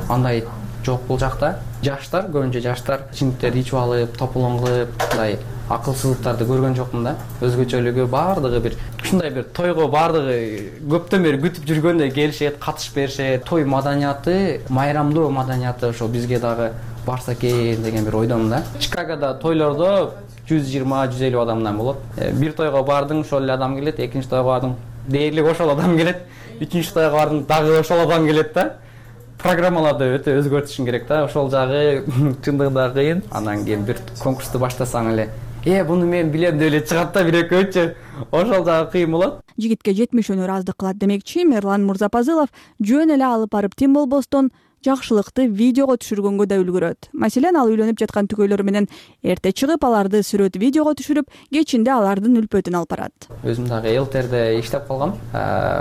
андай жок бул жакта. Жаштар, көбүнчө жаштар ичимдиктерди ичип алып, топулон кылып, мындай акылсыздыктарды көргөн жокмун да. Өзгөчөлүгү бардыгы бир ушундай бир тойго бардыгы көптөн бери күтүп жүргөндөй келишет, катышып беришет. Той маданияты, майрамдоо маданияты ошо бизге дагы барса экен деген бир ойдомун да. Чикагода тойлордо жүз жыйырма жүз элүү адамдан болот. Бир тойго бардың, ошол эле адам келет, экинчи тойго бардың, дээрлик ошол адам келет, үчүнчү тойго бардың, дагы ошол адам келет да. Программаларды өтө өзгөртүшүң керек да. Ошол жагы чындыгында кыйын. Андан кийин бир конкурсту баштасаң эле, «Э, буну мен билем» деп эле чыгат да бир экөөчү. Ошол жагы кыйын болот. Жигитке жетимиш өнөр аздык кылат демекчи Мирлан Мурзапазылов жөн эле алып барып тим болбостон жакшылыкты видеого түшүргөнгө да үлгүрөт. Маселен, ал үйлөнүп жаткан түгөйлөрү менен эрте чыгып, аларды сүрөт видеого түшүрүп, кечинде алардын үлпөтүн алып барат. Өзүм дагы Элтерде иштеп калгам.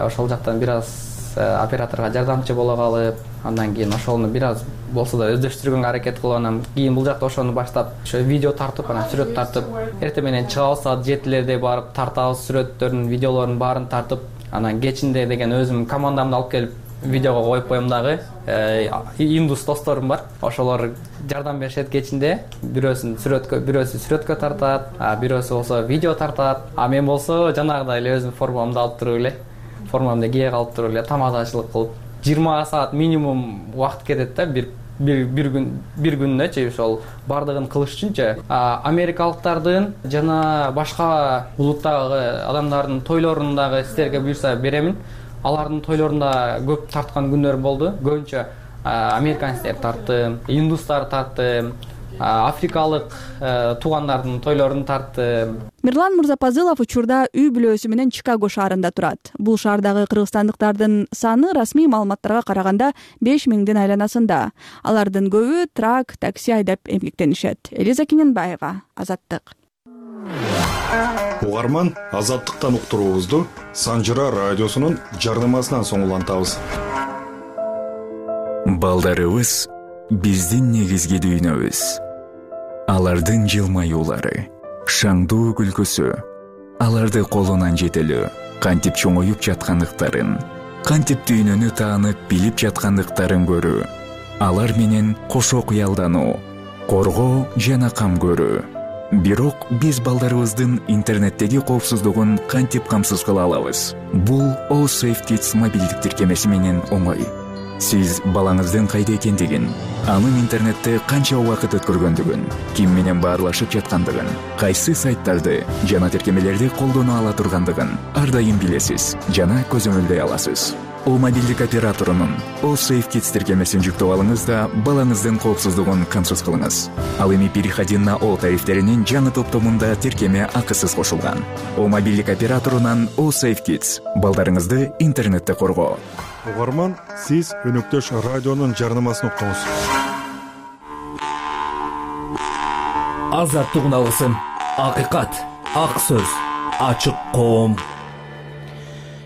Ошол жактан бир аз операторго жардамчы боло калып, андан кийин ошону бир аз болсо да өздөштүргөнгө аракет кылып, анан кийин бул жакта ошону баштап, ошо видео тартып, анан сүрөт тартып, эртең менен чыгабыз, саат жетилерде барып тартабыз, сүрөттөрүн, видеолорун баарын тартып, анан кечинде деген өзүм командамды алып келип видеого коюп коем дагы. Индус досторум бар. Ошолор жардам беришет кечинде. Бирөөсүн сүрөткө, бирөөсү сүрөткө тартат, а бирөөсү болсо видео тартат. А мен болсо жанагыдай эле өзүм формамды алып туруп эле, формамды кие калып туруп эле тамадачылык кылып, жыйырма саат минимум убакыт кетет да, бир бир бир күн бир күнүнөчү ошол бардыгын кылыш үчүнчү. Америкалыктардын жана башка улуттагы адамдардын тойлорун дагы силерге буюрса беремин. Алардын тойлорунда көп тарткан күндөр болду. Көбүнчө американецтер тарттым, индустар тарттым, африкалык туугандардын тойлорун тарттым. Мирлан Мурзапазылов учурда үй бүлөсү менен Чикаго шаарында турат. Бул шаардагы кыргызстандыктардын саны расмий маалыматтарга караганда беш миңдин айланасында. Алардын көбү трак, такси айдап эмгектенишет. Элиза Кененбаева, Азаттык. Угарман, Азаттыктан уктуруубузду Санжыра радиосунун жарнамасынан соң улантабыз. Балдарыбыз биздин негизги дүйнөбүз. Алардын жылмаюулары, шаңдуу күлкүсү, аларды колунан жетелөө, кантип чоңоюп жаткандыктарын, кантип дүйнөнү таанып билип жаткандыктарын көрүү, алар менен кошо кыялдануу, коргоо жана кам көрүү. Бирок биз балдарыбыздын интернеттеги коопсуздугун кантип камсыз кыла алабыз? Бул All Safe Kids мобилдик тиркемеси менен оңой. Сиз балаңыздын кайда экендигин, анын интернетте канча убакыт өткөргөндүгүн, ким менен баарлашып жаткандыгын, кайсы сайттарды жана тиркемелерди колдоно ала тургандыгын ар дайым билесиз жана көзөмөлдөй аласыз. О мобилдик операторунун All Safe Kids тиркемесин жүктөп алыңыз да балаңыздын коопсуздугун камсыз кылыңыз. Ал эми переходи на О тарифтеринин жаңы топтомунда тиркеме акысыз кошулган. О мобилдик операторунан All Safe Kids балдарыңызды интернетте коргоо. Угарман, сиз өнөктөш радионун жарнамасын уктуңуз. Азаттык алгысын, акыйкат, ак сөз, ачык коом.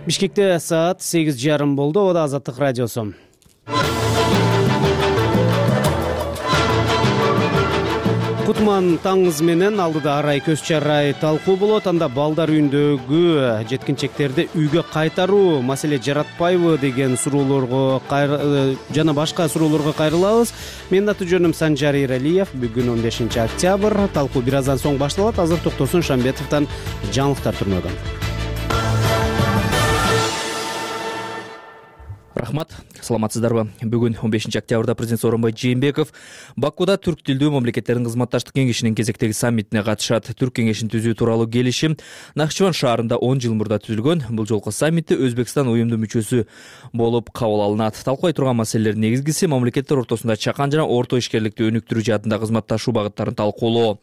Бишкекте саат сегиз жарым болду. Ода Азаттык радиосу. Кутман таңыңыз менен алдыда арай көз чарай талкуу болот. Анда балдар үйүндөгү жеткинчектерди үйгө кайтаруу маселе жаратпайбы деген суроолорго жана башка суроолорго кайрылабыз. Менин аты жөнүм Санжар Иралиев. Бүгүн он бешинчи октябрь. Талкуу бир аздан соң башталат. Азыр Токтосун Шамбетовдон жаңылыктар түрмөгөн. Рахмат, саламатсыздарбы? Бүгүн он бешинчи октябрда президент Сооронбай Жээнбеков Бакуда түрк тилдүү мамлекеттердин кызматташтык кеңешинин кезектеги саммитине катышат. Түрк кеңешин түзүү тууралуу келишим Нахчыван шаарында он жыл мурда түзүлгөн. Бул жолку саммитте Өзбекстан уюмдун мүчөсү болуп кабыл алынат. Талкуулай турган маселелердин негизгиси мамлекеттер ортосунда чакан жана орто ишкерликти өнүктүрүү жаатында кызматташуу багыттарын талкуулоо.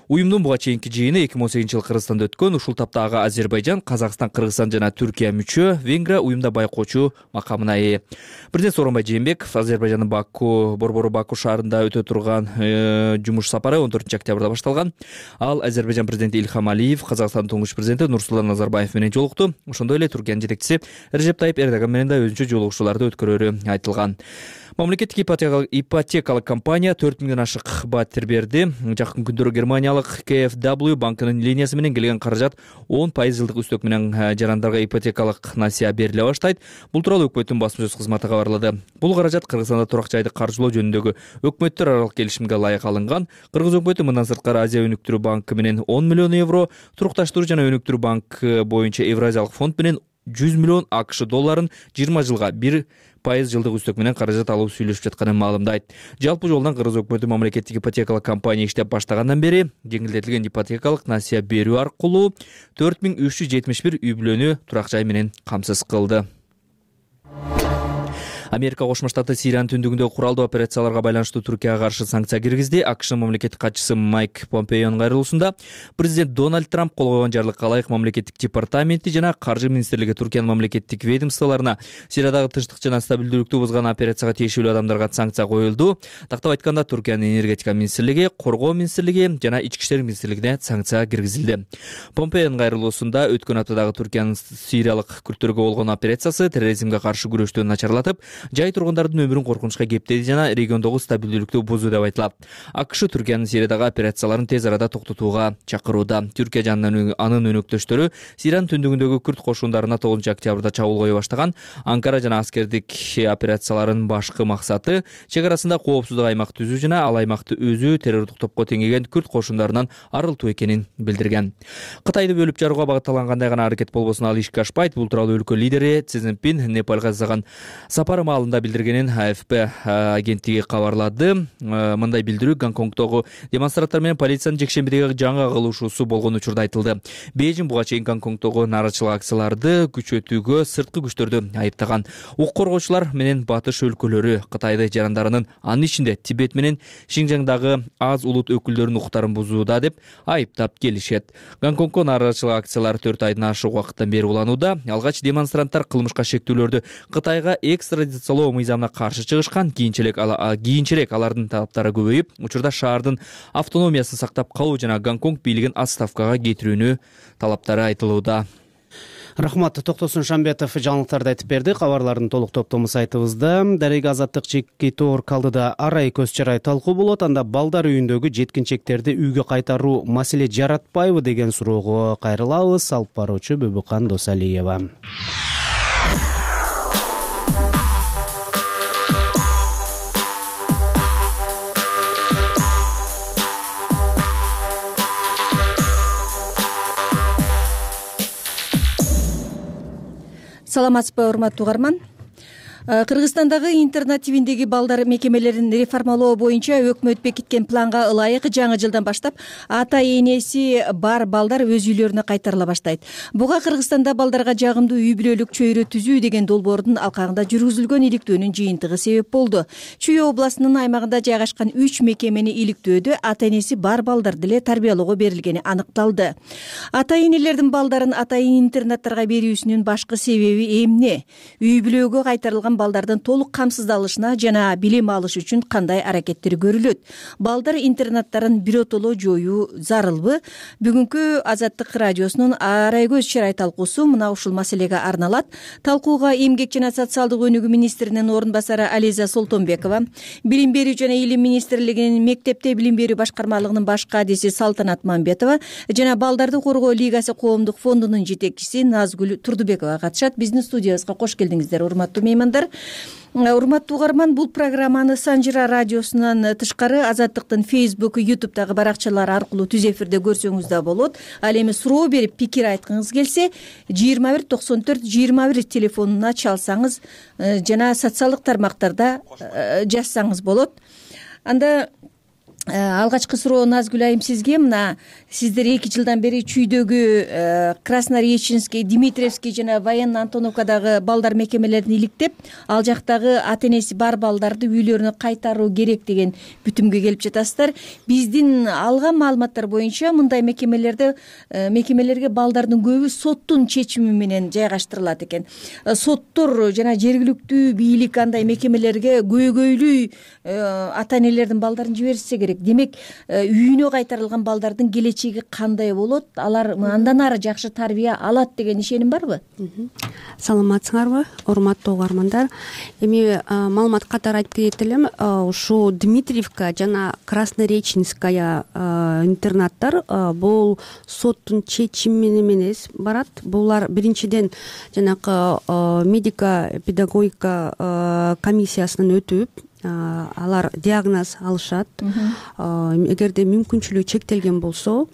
Уюмдун буга чейинки жыйыны эки миң он сегизинчи жылы Кыргызстанда өткөн. Ушул тапта ага Азербайжан, Казакстан, Кыргызстан жана Түркия мүчө, Венгрия уюмда байкоочу макамына ээ. Президент Сооронбай Жээнбеков Азербайжандын Баку, борбору Баку шаарында өтө турган жумуш сапары он төртүнчү октябрда башталган. Ал Азербайжан президенти Ильхам Алиев, Казакстандын туңгуч президенти Нурсултан Назарбаев менен жолукту. Ошондой эле Түркиянын жетекчиси Режеп Тайип Эрдоган менен да өзүнчө жолугушууларды өткөрөрү айтылган. Мамлекеттик ипотекалык компания төрт миңден ашык баттер берди. Жакын күндөрү Германиялык К Ф W банкынын линиясы менен келген каражат он пайыз жылдык үстөк менен жарандарга ипотекалык насыя бериле баштайт. Бул тууралуу өкмөттүн басма сөз кызматы кабарлады. Бул каражат Кыргызстанда турак жайды каржылоо жөнүндөгү өкмөттөр аралык келишимге ылайык алынган. Кыргыз өкмөтү мындан сырткары Азия өнүктүрүү банкы менен он миллион евро, турукташтыруу жана өнүктүрүү банкы боюнча Евразиялык фонд менен жүз миллион АКШ долларын жыйырма жылга бир пайыз жылдык үстөк менен каражат алып сүйлөшүп жатканын маалымдайт. Жалпы жолдон Кыргыз өкмөтү мамлекеттик ипотекалык компания иштеп баштагандан бери жеңилдетилген ипотекалык насыя берүү аркылуу төрт миң үч жүз жетимиш бир үй бүлөнү турак жай менен камсыз кылды. Америка Кошмо Штаты Сириянын түндүгүндөгү куралдуу операцияларга байланыштуу Түркияга каршы санкция киргизди. АКШнын мамлекеттик катчысы Майк Помпеонун кайрылуусунда президент Дональд Трамп кол койгон жарлыкка ылайык мамлекеттик департаменти жана каржы министрлиги Түркиянын мамлекеттик ведомстволоруна Сириядагы тынчтык жана стабилдүүлүктү бузган операцияга тиешелүү адамдарга санкция коюлду. Тактап айтканда Түркиянын энергетика министрлиги, коргоо министрлиги жана ички иштер министрлигине санкция киргизилди. Помпеонун кайрылуусунда өткөн аптадагы Түркиянын Сириялык күрттөргө болгон операциясы терроризмге каршы күрөштү начарлатып, жай тургундардын өмүрүн коркунучка кептеди жана региондогу стабилдүүлүктү бузуу деп айтылат. АКШ Түркиянын Сириядагы операцияларын тез арада токтотууга чакырууда. Түркия жана анын өнөктөштөрү Сириянын түндүгүндөгү күрт кошундарына тогузунчу октябрда чабуул кое баштаган. Анкара жана аскердик операцияларынын башкы максаты чек арасында коопсуздук аймак түзүү жана ал аймакты өзү террордук топко теңеген күрт кошундарынан арылтуу экенин билдирген. Кытайды бөлүп жарууга багытталган кандай гана аракет болбосун ал ишке ашпайт. Бул тууралуу өлкө лидери Си Цзиньпин Непалга жасаган сапары маалында билдиргенин А Ф П агенттиги кабарлады. Мындай билдирүү Гонконгдогу демонстранттар менен полициянын жекшембидеги жаңы кылышуусу болгон учурда айтылды. Бейжин буга чейин Гонконгдогу нааразычылык акцияларды күчөтүүгө сырткы күчтөрдү айыптаган. Укук коргоочулар менен батыш өлкөлөрү Кытайды жарандарынын, анын ичинде Тибет менен Шинжаңдагы аз улут өкүлдөрүнүн укуктарын бузууда деп айыптап келишет. Гонконгго нааразычылык акциялары төрт айдан ашык убакыттан бери уланууда. Алгач демонстранттар кылмышка шектүүлөрдү Кытайга экстрадициялоо мыйзамына каршы чыгышкан. Кийинчерээк кийинчерээк алардын талаптары көбөйүп, учурда шаардын автономиясын сактап калуу жана Гонконг бийлигин отставкага кетирүүнү талаптары айтылууда. Рахмат. Токтосун Шамбетов жаңылыктарды айтып берди. Кабарлардын толук топтому сайтыбызда. Дарега Азаттык чекки тоор калдыда арай көз чарай талкуу болот. Анда балдар үйүндөгү жеткинчектерди үйгө кайтаруу маселе жаратпайбы деген суроого кайрылабыз. Алып баруучу Бүбүкан Досалиева. саламатсызбы урматтуу угарман. Кыргызстандагы интернат тибиндеги балдар мекемелерин реформалоо боюнча өкмөт бекиткен планга ылайык жаңы жылдан баштап ата энеси бар балдар өз үйлөрүнө кайтарыла баштайт. Буга Кыргызстанда балдарга жагымдуу үй бүлөлүк чөйрө түзүү деген долбоордун алкагында жүргүзүлгөн иликтөөнүн жыйынтыгы себеп болду. Чүй областынын аймагында жайгашкан үч мекемени иликтөөдө ата энеси бар балдар деле тарбиялоого берилгени аныкталды. Ата энелердин балдарын ата интернаттарга берүүсүнүн башкы себеби эмне? Үй бүлөгө кайтарылган балдардын толук камсыздалышына жана билим алыш үчүн кандай аракеттер көрүлөт? Балдар интернаттарын биротоло жоюу зарылбы? Бүгүнкү Азаттык радиосунун арай көз чырай талкуусу мына ушул маселеге арналат. Талкууга Эмгек жана социалдык өнүгүү министринин орун басары Ализа Солтонбекова, Билим берүү жана илим министрлигинин мектепте билим берүү башкармалыгынын баш кадиси Салтанат Мамбетова жана Балдарды коргоо лигасы коомдук фондунун жетекчиси Назгүл Турдубекова катышат. Биздин студиябызга кош келдиңиздер, урматтуу меймандар. Урматтуу угарман, бул программаны Санжыра радиосунан тышкары Азаттыктын Facebook, YouTube'дагы баракчалары аркылуу түз эфирде көрсөңүз да болот. Ал эми суроо берип пикир айткыңыз келсе, жыйырма бир токсон төрт жыйырма бир телефонуна чалсаңыз жана социалдык тармактарда жазсаңыз болот. Анда алгачкы суроо Назгүл айым сизге. Мына сиздер эки жылдан бери чүйдөгү Краснореченский, Дмитриевский жана Военно Антоновкадагы балдар мекемелерин иликтеп, ал жактагы ата энеси бар балдарды үйлөрүнө кайтаруу керек деген бүтүмгө келип жатасыздар. Биздин алган маалыматтар боюнча мындай мекемелерде мекемелерге балдардын көбү соттун чечими менен жайгаштырылат экен. Соттор жана жергиликтүү бийлик андай мекемелерге көйгөйлүү ата энелердин балдарын жиберсе керек. Демек, үйүнө кайтарылган балдардын келечеги кандай болот? Алар андан ары жакшы тарбия алат деген ишеним барбы? Саламатсыңарбы, урматтуу угармандар? Эми маалымат катары айтып кетет элем, ушу Дмитриевка жана Краснореченская интернаттар бул соттун чечими менен эмес барат. Булар биринчиден жанакы медико-педагогика комиссиясынан өтүп, алар диагноз алышат. Эгерде мүмкүнчүлүгү чектелген болсо,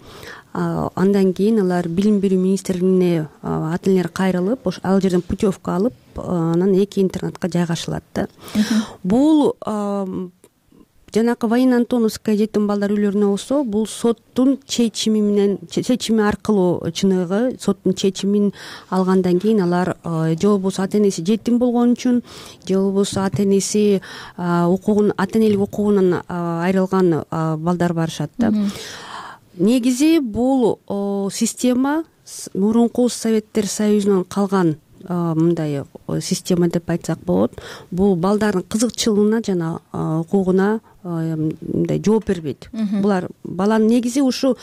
андан кийин алар билим берүү министрлигине ата энелер кайрылып, ал жерден путевка алып, анан эки интернатка жайгашылат да. Бул жанакы Военно Антоновская жетим балдар үйлөрүнө болсо, бул соттун чечими менен чечими аркылуу чыныгы соттун чечимин алгандан кийин алар же болбосо ата энеси жетим болгон үчүн, же болбосо ата энеси укугун ата энелик укугунан айрылган балдар барышат да. Негизи бул система мурунку Советтер Союзунан калган мындай система деп айтсак болот. Бул балдардын кызыкчылыгына жана укугуна мындай жооп бербейт. Булар баланын негизи ушу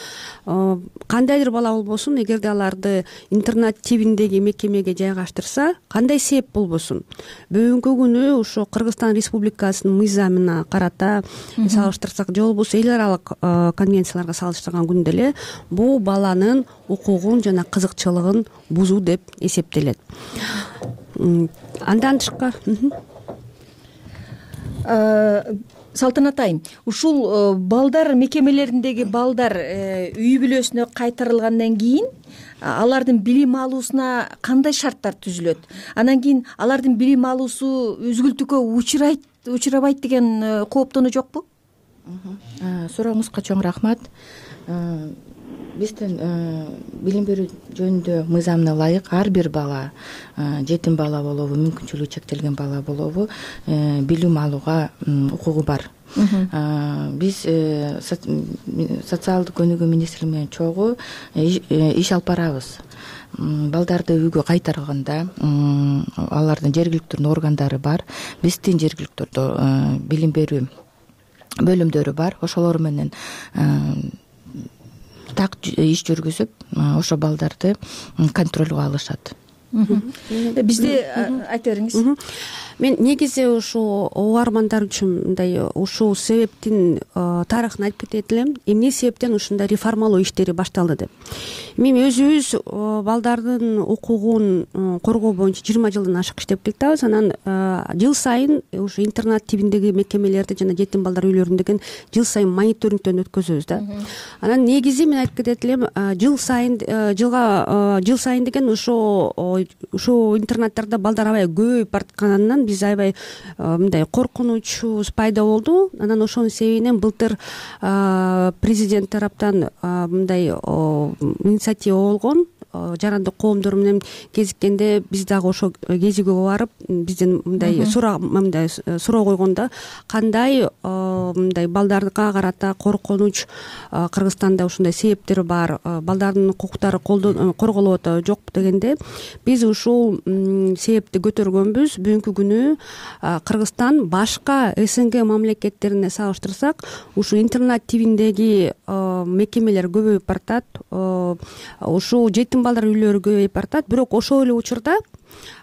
кандайдыр бала болбосун, эгерде аларды интернат тибиндеги мекемеге жайгаштырса, кандай себеп болбосун, бүгүнкү күнү ошо Кыргызстан Республикасынын мыйзамына карата салыштырсак, же болбосо эл аралык конвенцияларга салыштырган күндө эле бул баланын укугун жана кызыкчылыгын бузуу деп эсептелет. Андан тышкары Салтанат айым, ушул балдар мекемелериндеги балдар үй бүлөсүнө кайтарылгандан кийин алардын билим алуусуна кандай шарттар түзүлөт? Анан кийин алардын билим алуусу үзгүлтүккө учурайт, учурабайт деген кооптонуу жокпу? Сурооңузга чоң рахмат. Биздин билим берүү жөнүндө мыйзамына ылайык ар бир бала, жетим бала болобу, мүмкүнчүлүгү чектелген бала болобу, билим алууга укугу бар. Биз социалдык өнүгүү министрлиги менен чогуу иш алып барабыз. Балдарды үйгө кайтарганда алардын жергиликтүү органдары бар. Биздин жергиликтүү билим берүү бөлүмдөрү бар. Ошолор менен так иш жүргүзүп, ошо балдарды контролго алышат. Бизде айта бериңиз. Мен негизи ушу угармандар үчүн мындай ушул себептин тарыхын айтып кетет элем. Эмне себептен ушундай реформалоо иштери башталды деп. Мен өзүбүз балдардын укугун коргоо боюнча жыйырма жылдан ашык иштеп келатабыз. Анан жыл сайын ушу интернат тибиндеги мекемелерди жана жетим балдар үйлөрүндөгү жыл сайын мониторингден өткөзөбүз да. Анан негизи мен айтып кетет элем, жыл сайын жылга жыл сайын деген ошо ушул интернаттарда балдар аябай көбөйүп баратканынан биз аябай мындай коркунучубуз пайда болду. Анан ошонун себебинен былтыр президент тараптан мындай инициатива болгон. Жарандык коомдор менен кезиккенде биз дагы ошо кезигүүгө барып бизден мындай суроо мындай суроо койгондо кандай мындай балдарга карата коркунуч Кыргызстанда ушундай себептер бар, балдардын укуктары корголуп атабы жокпу дегенде биз ушул себепти көтөргөнбүз. Бүгүнкү күнү Кыргызстан башка СНГ мамлекеттерине салыштырсак ушул интернет тибиндеги мекемелер көбөйүп баратат. Ушул жетим балдар үйлөрү көбөйүп баратат. Бирок ошол эле учурда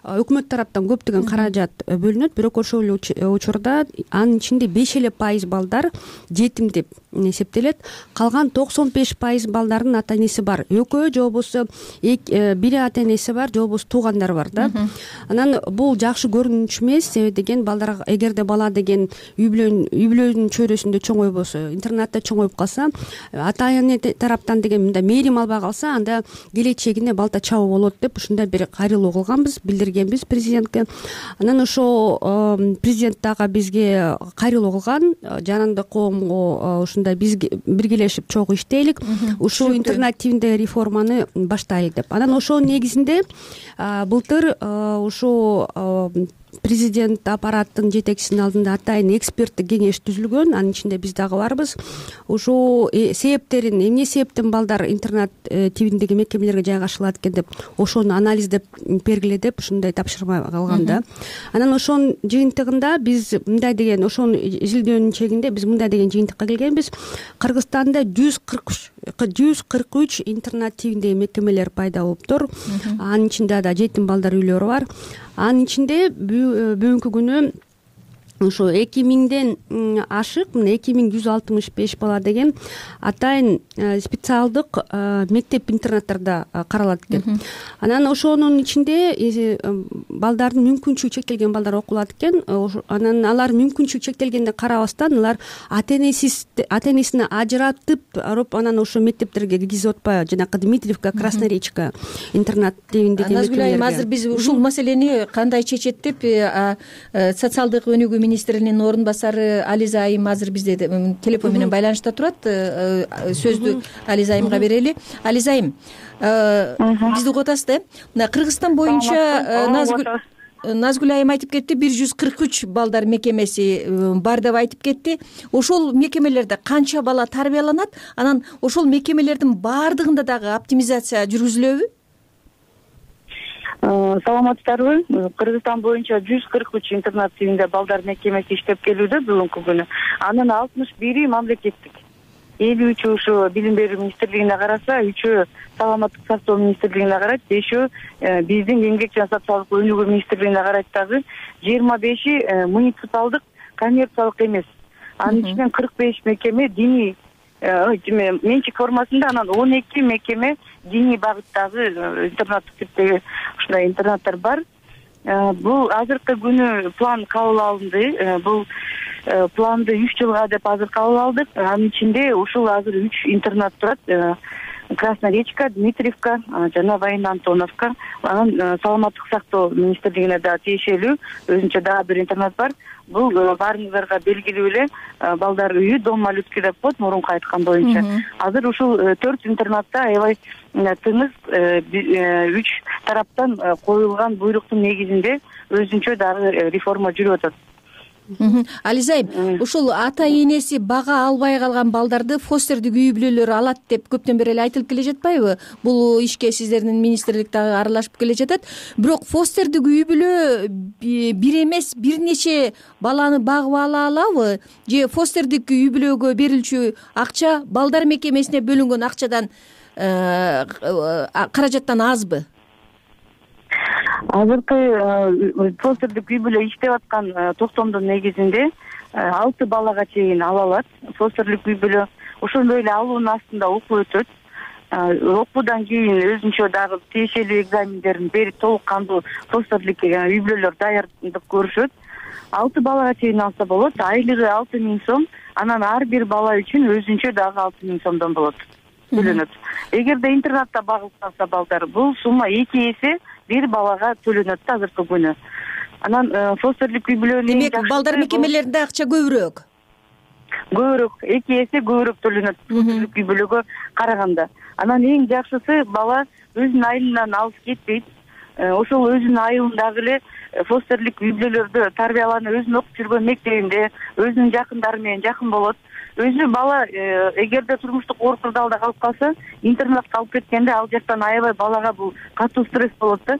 өкмөт тараптан көптөгөн каражат бөлүнөт. Бирок ошол эле учурда анын ичинде беш эле пайыз балдар жетим деп эсептелет. Калган токсон беш пайыз балдардын ата энеси бар. Экөө же болбосо бири ата энеси бар, же болбосо туугандары бар да. Анан бул жакшы көрүнүч эмес. Себеби деген балдар эгерде бала деген үй бүлөнүн үй бүлөнүн чөйрөсүндө чоңойбосо, интернатта чоңоюп калса, ата эне тараптан деген мындай мээрим албай калса, анда келечегине балта чабуу болот деп ушундай бир кайрылуу кылганбыз, билдиргенбиз президентке. Анан ошо президент дагы бизге кайрылуу кылган, жарандык коомго ушундай биз биргелешип чогуу иштейлик, ушул интернет тибиндеги реформаны баштайлык деп. Анан ошонун негизинде былтыр ушул президент аппараттын жетекчисинин алдында атайын эксперттик кеңеш түзүлгөн. Анын ичинде биз дагы барбыз. Ушул себептерин, эмне себептен балдар интернет тибиндеги мекемелерге жайгашылат экен деп ошону анализдеп бергиле деп ушундай тапшырма калган да. Анан ошонун жыйынтыгында биз мындай деген, ошонун изилдөөнүн чегинде биз мындай деген жыйынтыкка келгенбиз. Кыргызстанда жүз кырк үч интернет тибиндеги мекемелер пайда болуптур. Анын ичинде да жетим балдар үйлөрү бар. Анын ичинде бүгүнкү күнү ошо эки миңден ашык, мына эки миң жүз алтымыш беш бала деген атайын специалдык мектеп интернаттарда каралат экен. Анан ошонун ичинде балдардын мүмкүнчүлүгү чектелген балдар окулат экен. Анан алар мүмкүнчүлүгү чектелгенде карабастан алар ата энесиз ата энесине ажыратып алып анан ошо мектептерге киргизип атпайбы, жанагы Дмитриевка, Красноречка интернат тибиндеги мектептер. Азыр биз ушул маселени кандай чечет деп социалдык өнүгүү министринин орун басары Ализа айым азыр бизде телефон менен байланышта турат. Сөздү Ализа айымга берели. Ализа айым, бизди угуп атасыз да? Мына Кыргызстан боюнча Назгүл айым айтып кетти, бир жүз кырк үч балдар мекемеси бар деп айтып кетти. Ошол мекемелерде канча бала тарбияланат? Анан ошол мекемелердин баардыгында дагы оптимизация жүргүзүлөбү? Саламатсыздарбы? Кыргызстан боюнча жүз кырк үч интернат тибинде балдар мекемеси иштеп келүүдө бүгүнкү күнү. Анын алтымыш бири мамлекеттик. элүү үчү ушу билим берүү министрлигине караса, үчөө саламаттык сактоо министрлигине карайт, бешөө биздин эмгек жана социалдык өнүгүү министрлигине карайт. Дагы жыйырма беши муниципалдык, коммерциялык эмес. Анын ичинен кырк беш мекеме диний менчик формасында, анан он эки мекеме диний багыттагы интернаттык типтеги ушундай интернаттар бар. Бул азыркы күнү план кабыл алынды. Бул планды үч жылга деп азыр кабыл алдык. Анын ичинде ушул азыр үч интернат турат. Красноречка, Дмитриевка жана Военно Антоновка. Анан саламаттык сактоо министрлигине да тиешелүү өзүнчө дагы бир интернат бар. Бул баарыңыздарга белгилүү эле балдар үйү, дом малютки деп коет, мурунку айткан боюнча. Азыр ушул төрт интернатта аябай тыныч үч тараптан коюлган буйруктун негизинде өзүнчө дагы реформа жүрүп атат. Ализа айым, ушул ата энеси бага албай калган балдарды фостердик үй бүлөлөр алат деп көптөн бери эле айтылып келе жатпайбы? Бул ишке сиздердин министрлик дагы аралашып келе жатат. Бирок фостердик үй бүлө бир эмес, бир нече баланы багып ала алабы? Же фостердик үй бүлөгө берилчү акча балдар мекемесине бөлүнгөн акчадан каражаттан азбы? Азыркы фостердик үй бүлө иштеп аткан токтомдун негизинде алты балага чейин ала алат. Фостерлик үй бүлө ошондой эле алуунун астында окуу өтөт. Окуудан кийин өзүнчө дагы тиешелүү экзамендерин берип толук кандуу фостерлик үй бүлөлөр даярдык көрүшөт. Алты балага чейин алса болот. Айлыгы алты миң сом, анан ар бир бала үчүн өзүнчө дагы алты миң сомдон болот. Төлөнөт. Эгерде интернатта багылып калса балдар, бул сумма эки эсе бир балага төлөнөт да азыркы күнү. Анан фостерлик үй бүлөнүн демек балдар мекемелеринде акча көбүрөөк көбүрөөк эки эсе көбүрөөк төлөнөт фостерлик үй бүлөгө караганда. Анан эң жакшысы бала өзүнүн айылынан алыс кетпейт. Ошол өзүнүн айылындагы эле фостерлик үй бүлөлөрдө тарбияланып, өзүнүн окуп жүргөн мектебинде өзүнүн жакындары менен жакын болот. Өзү бала эгерде турмуштук оор кырдаалда калып калса, интернатка алып кеткенде ал жактан аябай балага бул катуу стресс болот да.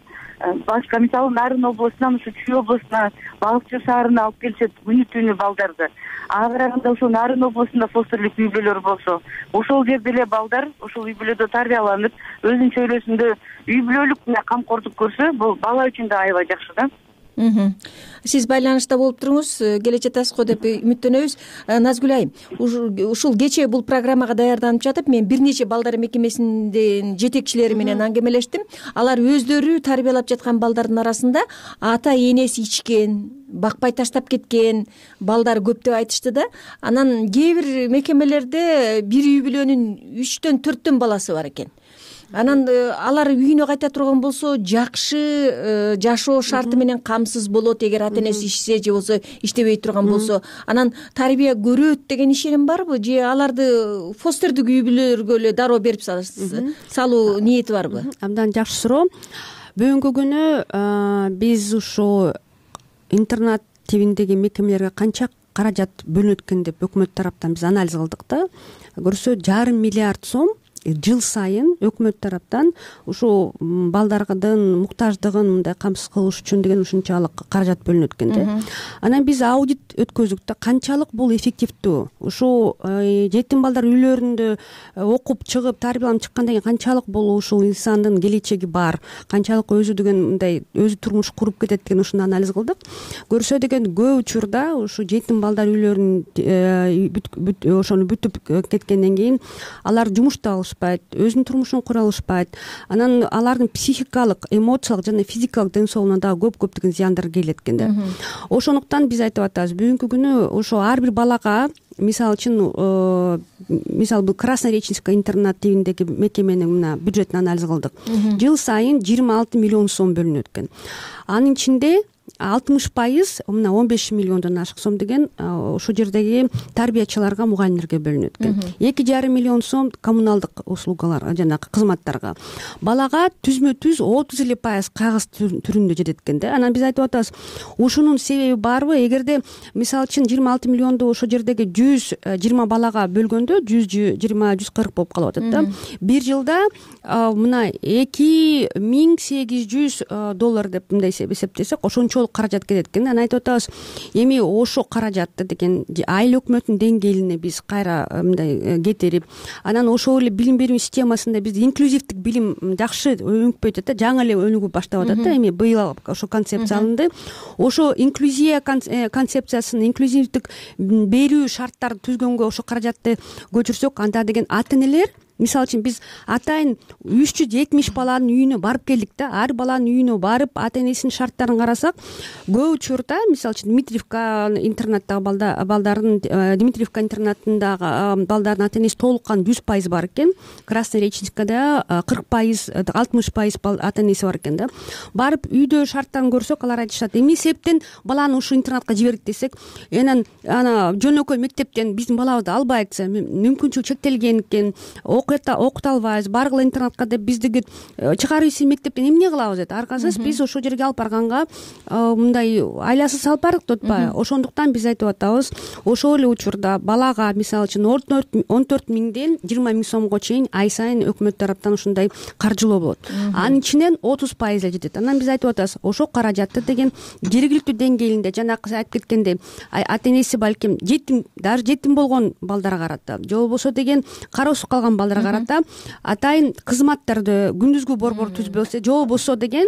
Башка мисалы Нарын областынан ушу Чүй областына, Балыкчы шаарына алып келишет күнү түнү балдарды. Ага караганда ошо Нарын областында фостерлик үй бүлөлөр болсо, ошол жерде эле балдар ошол үй бүлөдө тарбияланып, өзүнүн чөйрөсүндө үй бүлөлүк менен камкордук көрсө, бул бала үчүн да аябай жакшы да. Сиз байланышта болуп туруңуз, келе жатасыз го деп үмүттөнөбүз. Назгүл айым, ушул кечээ бул программага даярданып жатып, мен бир нече балдар мекемесинин жетекчилери менен аңгемелештим. Алар өздөрү тарбиялап жаткан балдардын арасында ата энеси ичкен, бакпай таштап кеткен балдар көп деп айтышты да. Анан кээ бир мекемелерде бир үй бүлөнүн үчтөн төрттөн баласы бар экен. Анан алар үйүнө кайта турган болсо жакшы жашоо шарты менен камсыз болот, эгер ата энеси ишсе же болбосо иштебей турган болсо. Анан тарбия көрөт деген ишеним барбы, же аларды фостердик үй бүлөлөргө эле дароо берип салуу ниети барбы? Абдан жакшы суроо. Бүгүнкү күнү биз ушу интернат тибиндеги мекемелерге канча каражат бөлүнөт экен деп өкмөт тараптан биз анализ кылдык да. Көрсө жарым миллиард сом жыл сайын өкмөт тараптан ушул балдардын муктаждыгын мындай камсыз кылыш үчүн деген ушунчалык каражат бөлүнөт экен да. Анан биз аудит өткөздүк да, канчалык бул эффективдүү. Ушул жетим балдар үйлөрүндө окуп чыгып, тарбияланып чыккандан кийин канчалык бул ушул инсандын келечеги бар, канчалык өзү деген мындай өзү турмуш куруп кетет деген ушуну анализ кылдык. Көрсө деген көп учурда ушу жетим балдар үйлөрүн ошону бүтүп кеткенден кийин алар жумушта өзүнүн турмушун кура алышпайт. Анан алардын психикалык, эмоциялык жана физикалык ден соолугуна дагы көп көптөгөн зыяндар келет экен да. Ошондуктан биз айтып атабыз, бүгүнкү күнү ошо ар бир балага, мисалы үчүн, мисалы бул Краснореченская интернат тибиндеги мекеменин мына бюджетин анализ кылдык. Жыл сайын жыйырма алты миллион сом бөлүнөт экен. Анын ичинде алтымыш пайыз, мына он беш миллиондон ашык сом деген ошол жердеги тарбиячыларга, мугалимдерге бөлүнөт экен. эки жарым миллион сом коммуналдык услугаларга, жанагы кызматтарга. Балага түзмө түз отуз эле пайыз кагыз түрүндө жетет экен да. Анан биз айтып атабыз, ушунун себеби барбы? Эгерде мисалы үчүн жыйырма алты миллионду ошол жердеги жүз жыйырма балага бөлгөндө жүз жыйырма жүз кырк болуп калып атат да. Бир жылда мына эки миң сегиз жүз доллар деп мындай эсептесек, ошончолук каражат кетет экен. Анан айтып атабыз, эми ошо каражатты деген айыл өкмөттүн деңгээлине биз кайра мындай кетирип, анан ошол эле билим берүү системасында биз инклюзивдик билим жакшы өнүкпөй атат да, жаңы эле өнүгүп баштап атат да. Эми быйыл ошо концепция алынды. Ошо инклюзия концепциясын, инклюзивдик берүү шарттарын түзгөнгө ошо каражатты көчүрсөк, анда деген ата энелер, мисалы үчүн биз атайын үч жүз жетимиш баланын үйүнө барып келдик да. Ар баланын үйүнө барып ата энесинин шарттарын карасак, көп учурда мисалы үчүн Дмитриевка интернаттагы балдардын, Дмитриевка интернатындагы балдардын ата энеси толуккан жүз пайыз бар экен. Краснореченскада кырк пайыз, алтымыш пайыз ата энеси бар экен да. Барып үйдө шарттарын көрсөк, алар айтышат, эмне себептен баланы ушул интернатка жибердик десек, анан ана жөнөкөй мектептен биздин балабызды албайт, мүмкүнчүлүк чектелген экен, окута албайбыз, баргыла интернатка деп биздиги чыгарыйсыз мектептен эмне кылабыз дейт. Аркасыз биз ошол жерге алып барганга мындай айласыз алып бардык деп атпайбы. Ошондуктан биз айтып атабыз, ошол эле учурда балага мисалы үчүн он төрт миңден жыйырма миң сомго чейин ай сайын өкмөт тараптан ушундай каржылоо болот. Анын ичинен отуз пайыз эле жетет. Анан биз айтып атабыз, ошол каражатты деген жергиликтүү деңгээлинде, жанагы айтып кеткендей, ата энеси балким жетим, даже жетим болгон балдарга карата, же болбосо деген кароосуз калган балдарга карата атайын кызматтарды, күндүзгү борбор түзбөсө, же болбосо деген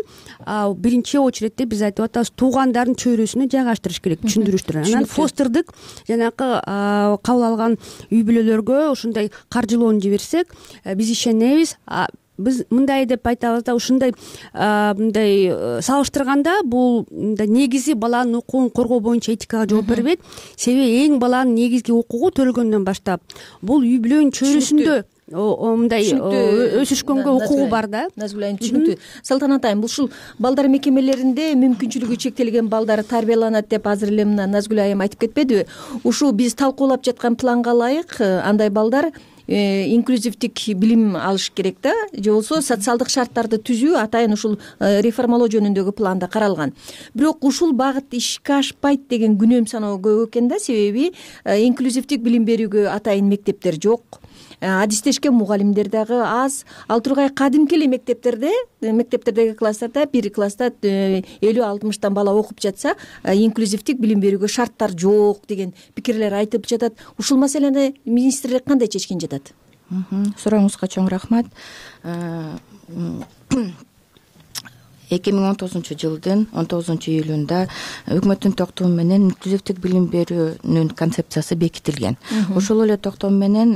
биринчи очередте биз айтып атабыз, туугандардын чөйрөсүнө жайгаштырыш керек, түшүндүрүштүр. Анан фостердик жанагы кабыл алган үй бүлөлөргө ушундай каржылоону жиберсек, биз ишенебиз. Биз мындай деп айтабыз да, ушундай мындай салыштырганда бул негизи баланын укугун коргоо боюнча этикага жооп бербейт. Себеби эң баланын негизги укугу төрөлгөндөн баштап бул үй бүлөнүн чөйрөсүндө мындай өсүшкөнгө укугу бар да. Назгүл айым түшүнүктүү. Салтанат айым, бул ушул балдар мекемелеринде мүмкүнчүлүгү чектелген балдар тарбияланат деп азыр эле мына Назгүл айым айтып кетпедиби? Ушул биз талкуулап жаткан планга ылайык андай балдар инклюзивдик билим алыш керек да, же болбосо социалдык шарттарды түзүү атайын ушул реформалоо жөнүндөгү планда каралган. Бирок ушул багыт ишке ашпайт деген күнөөм саноо көп экен да, себеби инклюзивдик билим берүүгө атайын мектептер жок. Адистешкен мугалимдер дагы аз. Ал тургай кадимки эле мектептерде, мектептердеги класстарда бир класста элүү алтымыштан бала окуп жатса, инклюзивдик билим берүүгө шарттар жок деген пикирлер айтып жатат. Ушул маселени министрлик кандай чечкен жатат? Сурооңузга чоң рахмат. эки миң он тогузунчу жылдын он тогузунчу июлунда өкмөттүн токтому менен инклюзивдик билим берүүнүн концепциясы бекитилген. Ошол эле токтом менен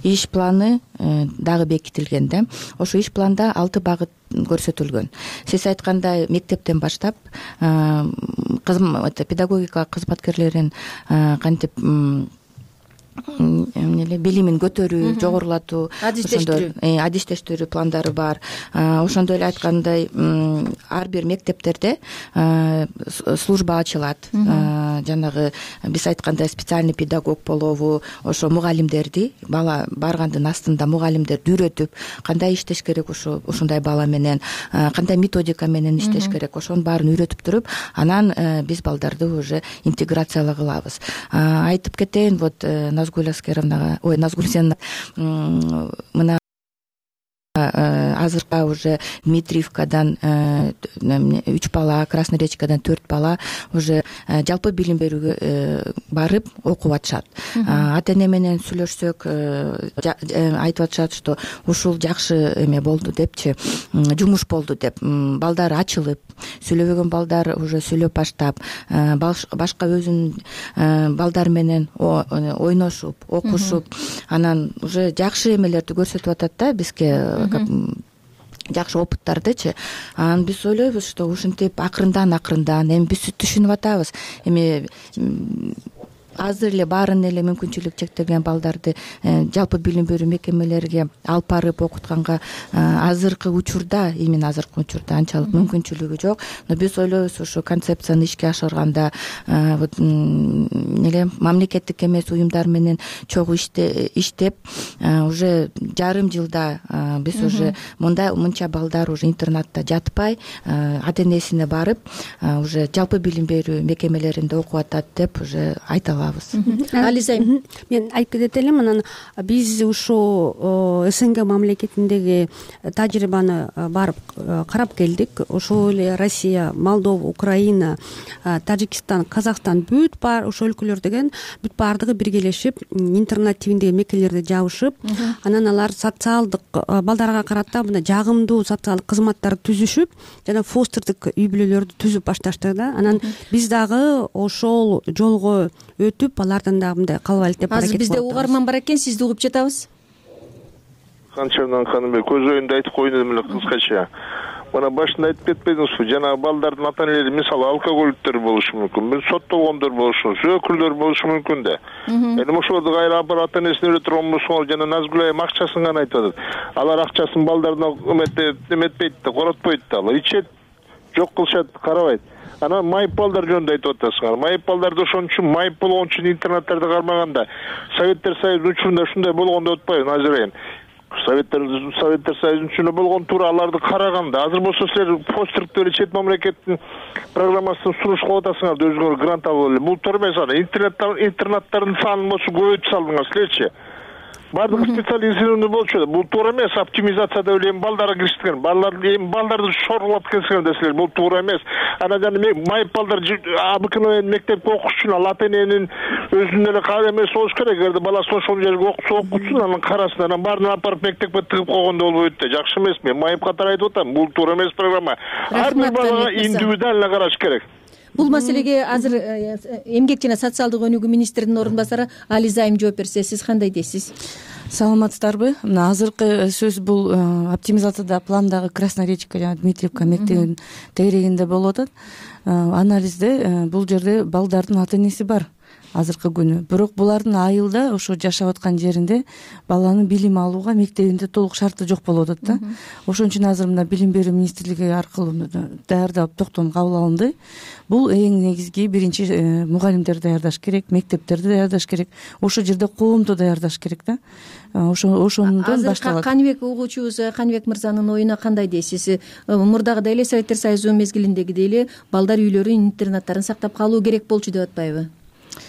иш планы дагы бекитилген да. Ошо иш планда алты багыт көрсөтүлгөн. Сиз айткандай мектептен баштап педагогика кызматкерлерин кантип эмнеле билимин көтөрүү, жогорулатуу, адистештирүү пландары бар. Ошондой эле айткандай ар бир мектептерде служба ачылат. Жанагы биз айткандай специальный педагог болобу, ошо мугалимдерди бала баргандын астында мугалимдерди үйрөтүп, кандай иштеш керек ошо ушундай бала менен, кандай методика менен иштеш керек, ошонун баарын үйрөтүп туруп, анан биз балдарды уже интеграциялай кылабыз. Айтып кетейин, вот Назгүл Аскеровнага, ой, Назгүл сен мына азыркы уже Дмитриевкадан үч бала, Красный Речкадан төрт бала уже жалпы билим берүүгө барып окуп атышат. Ата эне менен сүйлөшсөк айтып атышат, что ушул жакшы эме болду депчи, жумуш болду деп. Балдар ачылып, сүйлөбөгөн балдар уже сүйлөп баштап, башка өзүнүн балдар менен ойношуп, окушуп, анан уже жакшы эмелерди көрсөтүп атат да бизге, жакшы опыттардычы. Анан биз ойлойбуз, что ушинтип акырындан акырындан эми биз түшүнүп атабыз. Эми азыр эле баарын эле мүмкүнчүлүк чектелген балдарды жалпы билим берүү мекемелерге алып барып окутканга азыркы учурда, именно азыркы учурда анчалык мүмкүнчүлүгү жок. Но биз ойлойбуз, ушу концепцияны ишке ашырганда вот эле мамлекеттик эмес уюмдар менен чогуу иштеп, уже жарым жылда биз уже мындай мынча балдар уже интернатта жатпай, ата энесине барып, уже жалпы билим берүү мекемелеринде окуп атат деп уже айта алабыз. Ализа, мен айтып кетет элем, анан биз ушу СНГ мамлекетиндеги тажрыйбаны барып карап келдик. Ошол эле Россия, Молдова, Украина, Тажикстан, Казакстан бүт бар ошол өлкөлөр деген бүт баардыгы биргелешип интернат тибиндеги мекемелерди жабышып, анан алар социалдык балдарга карата мына жагымдуу социалдык кызматтарды түзүшүп, жана фостердик үй бүлөлөрдү түзүп башташты да. Анан биз дагы ошол жолго өтүп, алардан дагы мындай калып алып деп аракет кылып атабыз. Азыр бизде угарман бар экен, сизди угуп жатабыз. Канчадан ханым, көз оюнду айтып коеюн эле кыскача. Мына башында айтып кетпедиңизби, жанагы балдардын ата энелери мисалы алкоголиктер болушу мүмкүн, соттолгондор болушу, өкүлдөр болушу мүмкүн да. Эми ошолорду кайра алып барып ата энесине үйрөтө турган болсоңор, жана Назгүл айым акчасын гана айтып атат. Алар акчасын балдарына эметпейт да, коротпойт да, алар ичет, жок кылышат, карабайт. Анан майып балдар жөнүндө айтып атасыңар. Майып балдарды ошон үчүн майып болгон үчүн интернаттарды кармаганда, Советтер Союзунун учурунда ушундай болгондо отпайбы Назир айым? Советтер Советтер Союзунун учурунда болгон туура аларды караганда, азыр болсо силер постердик эле чет мамлекеттин программасын сунуш кылып атасыңар да, өзүңөр грант алып эле. Бул туура эмес. Интернаттардын санын болсо көбөйтүп салдыңар силерчи. Бардыгы специализированный болчу да. Бул туура эмес. Оптимизация деп эле эми балдар киришкен. Балдар эми балдарды шорлоп келсеңер да силер, бул туура эмес. Анан жана майып балдар обыкновенный мектепке окуш үчүн ал ата эненин өзүнүн эле каалоо эмеси болуш керек. Эгерде баласы ошол жерге окутса окутсун, анан карасын, анан баарын алып барып мектепке тыгып койгондо болбойт да. Жакшы эмес. Мен майып катары айтып атам, бул туура эмес программа. Ар бир балага индивидуально караш керек. Бул маселеге азыр эмгек жана социалдык өнүгүү министринин орун басары Ализа айым жооп берсе, сиз кандай дейсиз? Саламатсыздарбы? Мына азыркы сөз бул оптимизацияда пландагы Красная Речка жана Дмитриевка мектебинин тегерегинде болуп атат. Анализде бул жерде балдардын ата энеси бар. азыркы күнү. Бирок булардын айылда ошо жашап аткан жеринде баланын билим алууга мектебинде толук шарты жок болуп атат да. Ошон үчүн азыр мына билим берүү министрлиги аркылуу даярдап токтом кабыл алынды. Бул эң негизги биринчи мугалимдерди даярдаш керек, мектептерди даярдаш керек, ошол жерде коомду даярдаш керек да. Ошо ошондон башталат. Каныбек угуучубуз Каныбек мырзанын оюна кандай дейсиз? Мурдагыдай эле Советтер Союзу мезгилиндегидей эле балдар үйлөрүн, интернаттарын сактап калуу керек болчу деп атпайбы?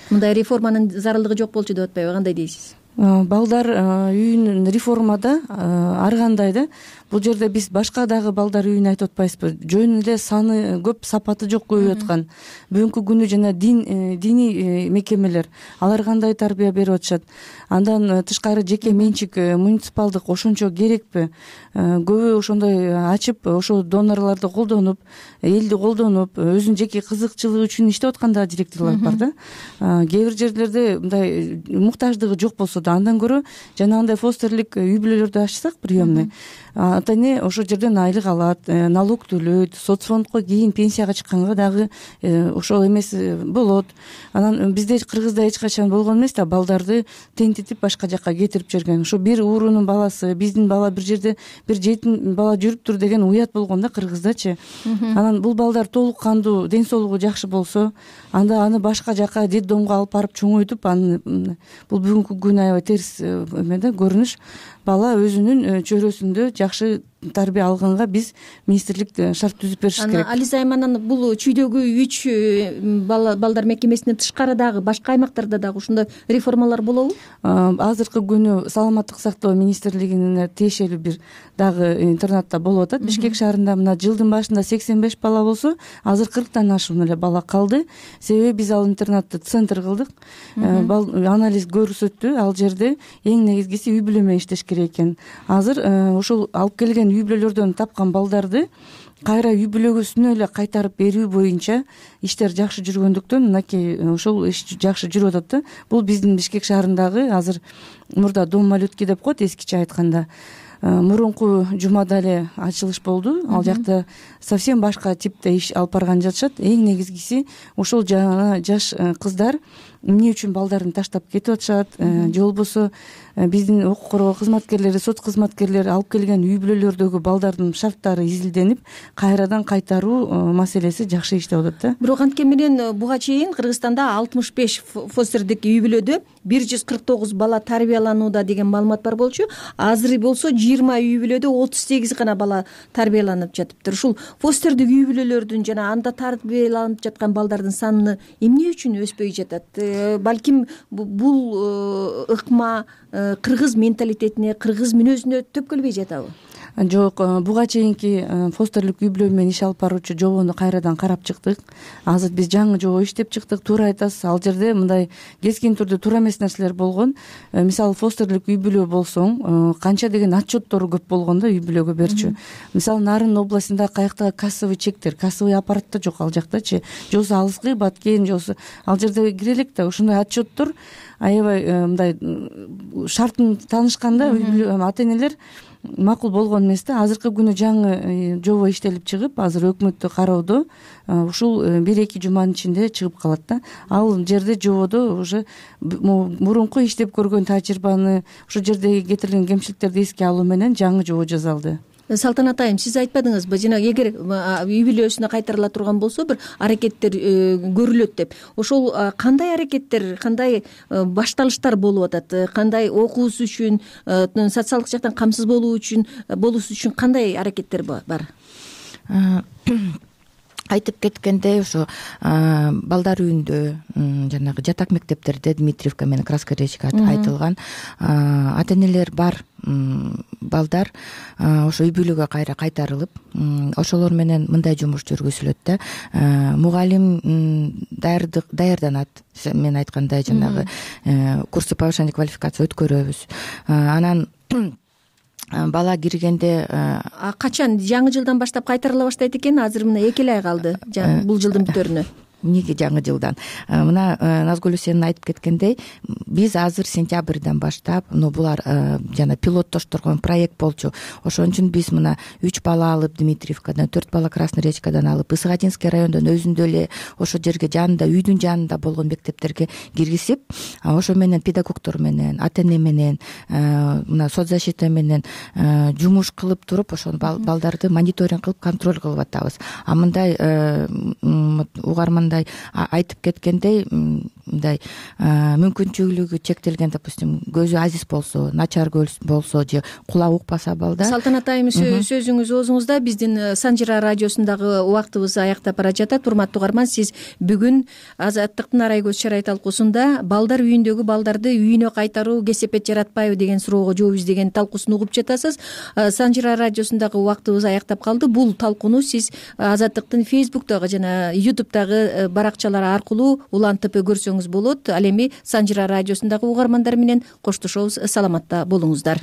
Мындай реформанын зарылдыгы жок болчу деп атпайбы? Кандай дейсиз? Балдар үйүнүн реформада ар кандай да. Бул жерде биз башка дагы балдар үйүн айтып атпайбызбы? Жөн эле саны көп, сапаты жок көбөйүп аткан. Бүгүнкү күнү жана дин диний мекемелер алар кандай тарбия берип атышат? Андан тышкары жеке менчик муниципалдык ошончо керекпи? Көбү ошондой ачып, ошо донорлорду колдонуп, элди колдонуп, өзүнүн жеке кызыкчылыгы үчүн иштеп аткан да директорлор бар да. Кээ бир жерлерде мындай муктаждыгы жок болсо да андан көрө жанагындай фостерлик үй бүлөлөрдү ачсак, приемный, ата эне ошол жерден айлык алат, налог төлөйт, соцфондко кийин пенсияга чыкканга дагы ошол эмес болот. Анан бизде Кыргызда эч качан болгон эмес да, балдарды тентитип башка жакка кетирип жиберген. Ошо бир уурунун баласы, биздин бала бир жерде бир жетим бала жүрүптүр деген уят болгон да Кыргыздачы. Анан бул балдар толук кандуу, ден соолугу жакшы болсо, анда аны башка жака детдомго алып барып чоңойтуп, аны бул бүгүнкү күн аябай терс эме да көрүнүш. Бала өзүнүн чөйрөсүндө жакшы тарбия алганга биз министрлик шарт түзүп бериш керек. Ализа Айманан бул чүйдөгү үч балдар мекемесинен тышкары дагы башка аймактарда дагы ушундай реформалар болобу? Азыркы күнү саламаттык сактоо министрлигине тиешелүү бир дагы интернатта болуп атат. Бишкек шаарында мына жылдын башында сексен беш бала болсо, азыр кырктан ашуун эле бала калды. Себеби биз ал интернатты центр кылдык. Анализ көрсөттү, ал жерде эң негизгиси үй бүлө менен иштеш керек экен. Азыр ошол алып келген үй бүлөлөрдөн тапкан балдарды кайра үй бүлөгөсүнө эле кайтарып берүү боюнча иштер жакшы жүргөндүктөн мынакей ошол иш жакшы жүрүп атат да. Бул биздин Бишкек шаарындагы азыр мурда дом малютки деп коет эскиче айтканда. Мурунку жумада эле ачылыш болду. Ал жакта совсем башка типте иш алып барган жатышат. Эң негизгиси ошол жана жаш кыздар эмне үчүн балдарын таштап кетип атышат, же болбосо биздин укук коргоо кызматкерлери, соц кызматкерлери алып келген үй бүлөлөрдөгү балдардын шарттары изилденип, кайрадан кайтаруу маселеси жакшы иштеп атат да. Бирок анткен менен буга чейин Кыргызстанда алтымыш беш фостердик үй бүлөдө бир жүз кырк тогуз бала тарбияланууда деген маалымат бар болчу. Азыр болсо жыйырма үй бүлөдө отуз сегиз гана бала тарбияланып жатыптыр. Ушул фостердик үй бүлөлөрдүн жана анда тарбияланып жаткан балдардын саны эмне үчүн өспөй жатат? Балким бул ыкма кыргыз менталитетине, кыргыз мүнөзүнө төпкөлбөй жатабы? Жок, буга чейинки фостерлик үй бүлө менен иш алып баруучу жобону кайрадан карап чыктык. Азыр биз жаңы жобо иштеп чыктык. Туура айтасыз, ал жерде мындай кескин түрдө туура эмес нерселер болгон. Мисалы фостерлик үй бүлө болсоң, канча деген отчеттору көп болгон да үй бүлөгө берчү. Мисалы Нарын областында каякта кассовый чектер, кассовый аппарат да жок ал жактачы. Же болбосо алыскы баткен, же болбосо ал жерде кире элек да ошондой отчеттор аябай мындай шартын таанышканда үй бүлө ата энелер макул болгон эмес да. Азыркы күнү жаңы жобо иштелип чыгып, азыр өкмөттө кароодо, ушул бир эки жуманын ичинде чыгып калат да. Ал жерде жободо уже мурунку иштеп көргөн тажрыйбаны, ошол жердеги кетирилген кемчиликтерди эске алуу менен жаңы жобо жасалды. Салтанат айым, сиз айтпадыңызбы, жанагы эгер үй бүлөсүнө кайтарыла турган болсо бир аракеттер көрүлөт деп. Ошол кандай аракеттер, кандай башталыштар болуп атат? Кандай окуусу үчүн, социалдык жактан камсыз болуу үчүн, болуусу үчүн кандай аракеттер бар? Айтып кеткендей, ошо балдар үйүндө, жанагы жатак мектептерде Дмитриевка менен Краска речка айтылган ата энелер бар балдар ошо үй бүлөгө кайра кайтарылып, ошолор менен мындай жумуш жүргүзүлөт да. Мугалим даярданат, мен айткандай жанагы курсы повышения квалификации өткөрөбүз. Анан бала киргенде качан жаңы жылдан баштап кайтарыла баштайт экен? Азыр мына эки эле ай калды бул жылдын бүтөрүнө. эмнеге жаңы жылдан мына Назгүл сенин айтып кеткендей биз азыр сентябрдан баштап ну булар жана пилоттоштургон проект болчу. Ошон үчүн биз мына үч бала алып Дмитриевкадан, төрт бала Красный Речкадан алып Ысыгатинский райондон өзүндө эле ошо жерге жанында үйдүн жанында болгон мектептерге киргизип, ошо менен педагогдор менен, ата эне менен, мына соцзащита менен жумуш кылып туруп ошол балдарды мониторинг кылып контроль кылып атабыз. А мындай угармандай айтып кеткендей мындай мүмкүнчүлүгү чектелген, допустим, көзү азиз болсо, начар болсо же кулагы укпаса балдар. Салтанат айым, сөзүңүз оозуңузда. Биздин Санжира радиосундагы убактыбыз аяктап бара жатат. Урматтуу угарман, сиз бүгүн Азаттыктын арай көз чарай талкуусунда балдар үйүндөгү балдарды үйүнө кайтаруу кесепет жаратпайбы деген суроого жооп издеген талкуусун угуп жатасыз. Санжира радиосундагы убактыбыз аяктап калды. Бул талкууну сиз Азаттыктын Фейсбуктагы жана Ютубтагы баракчалары аркылуу улантып көрсөңүз болот. Ал эми Санжира радиосундагы угармандар менен коштошобуз. Саламатта болуңуздар.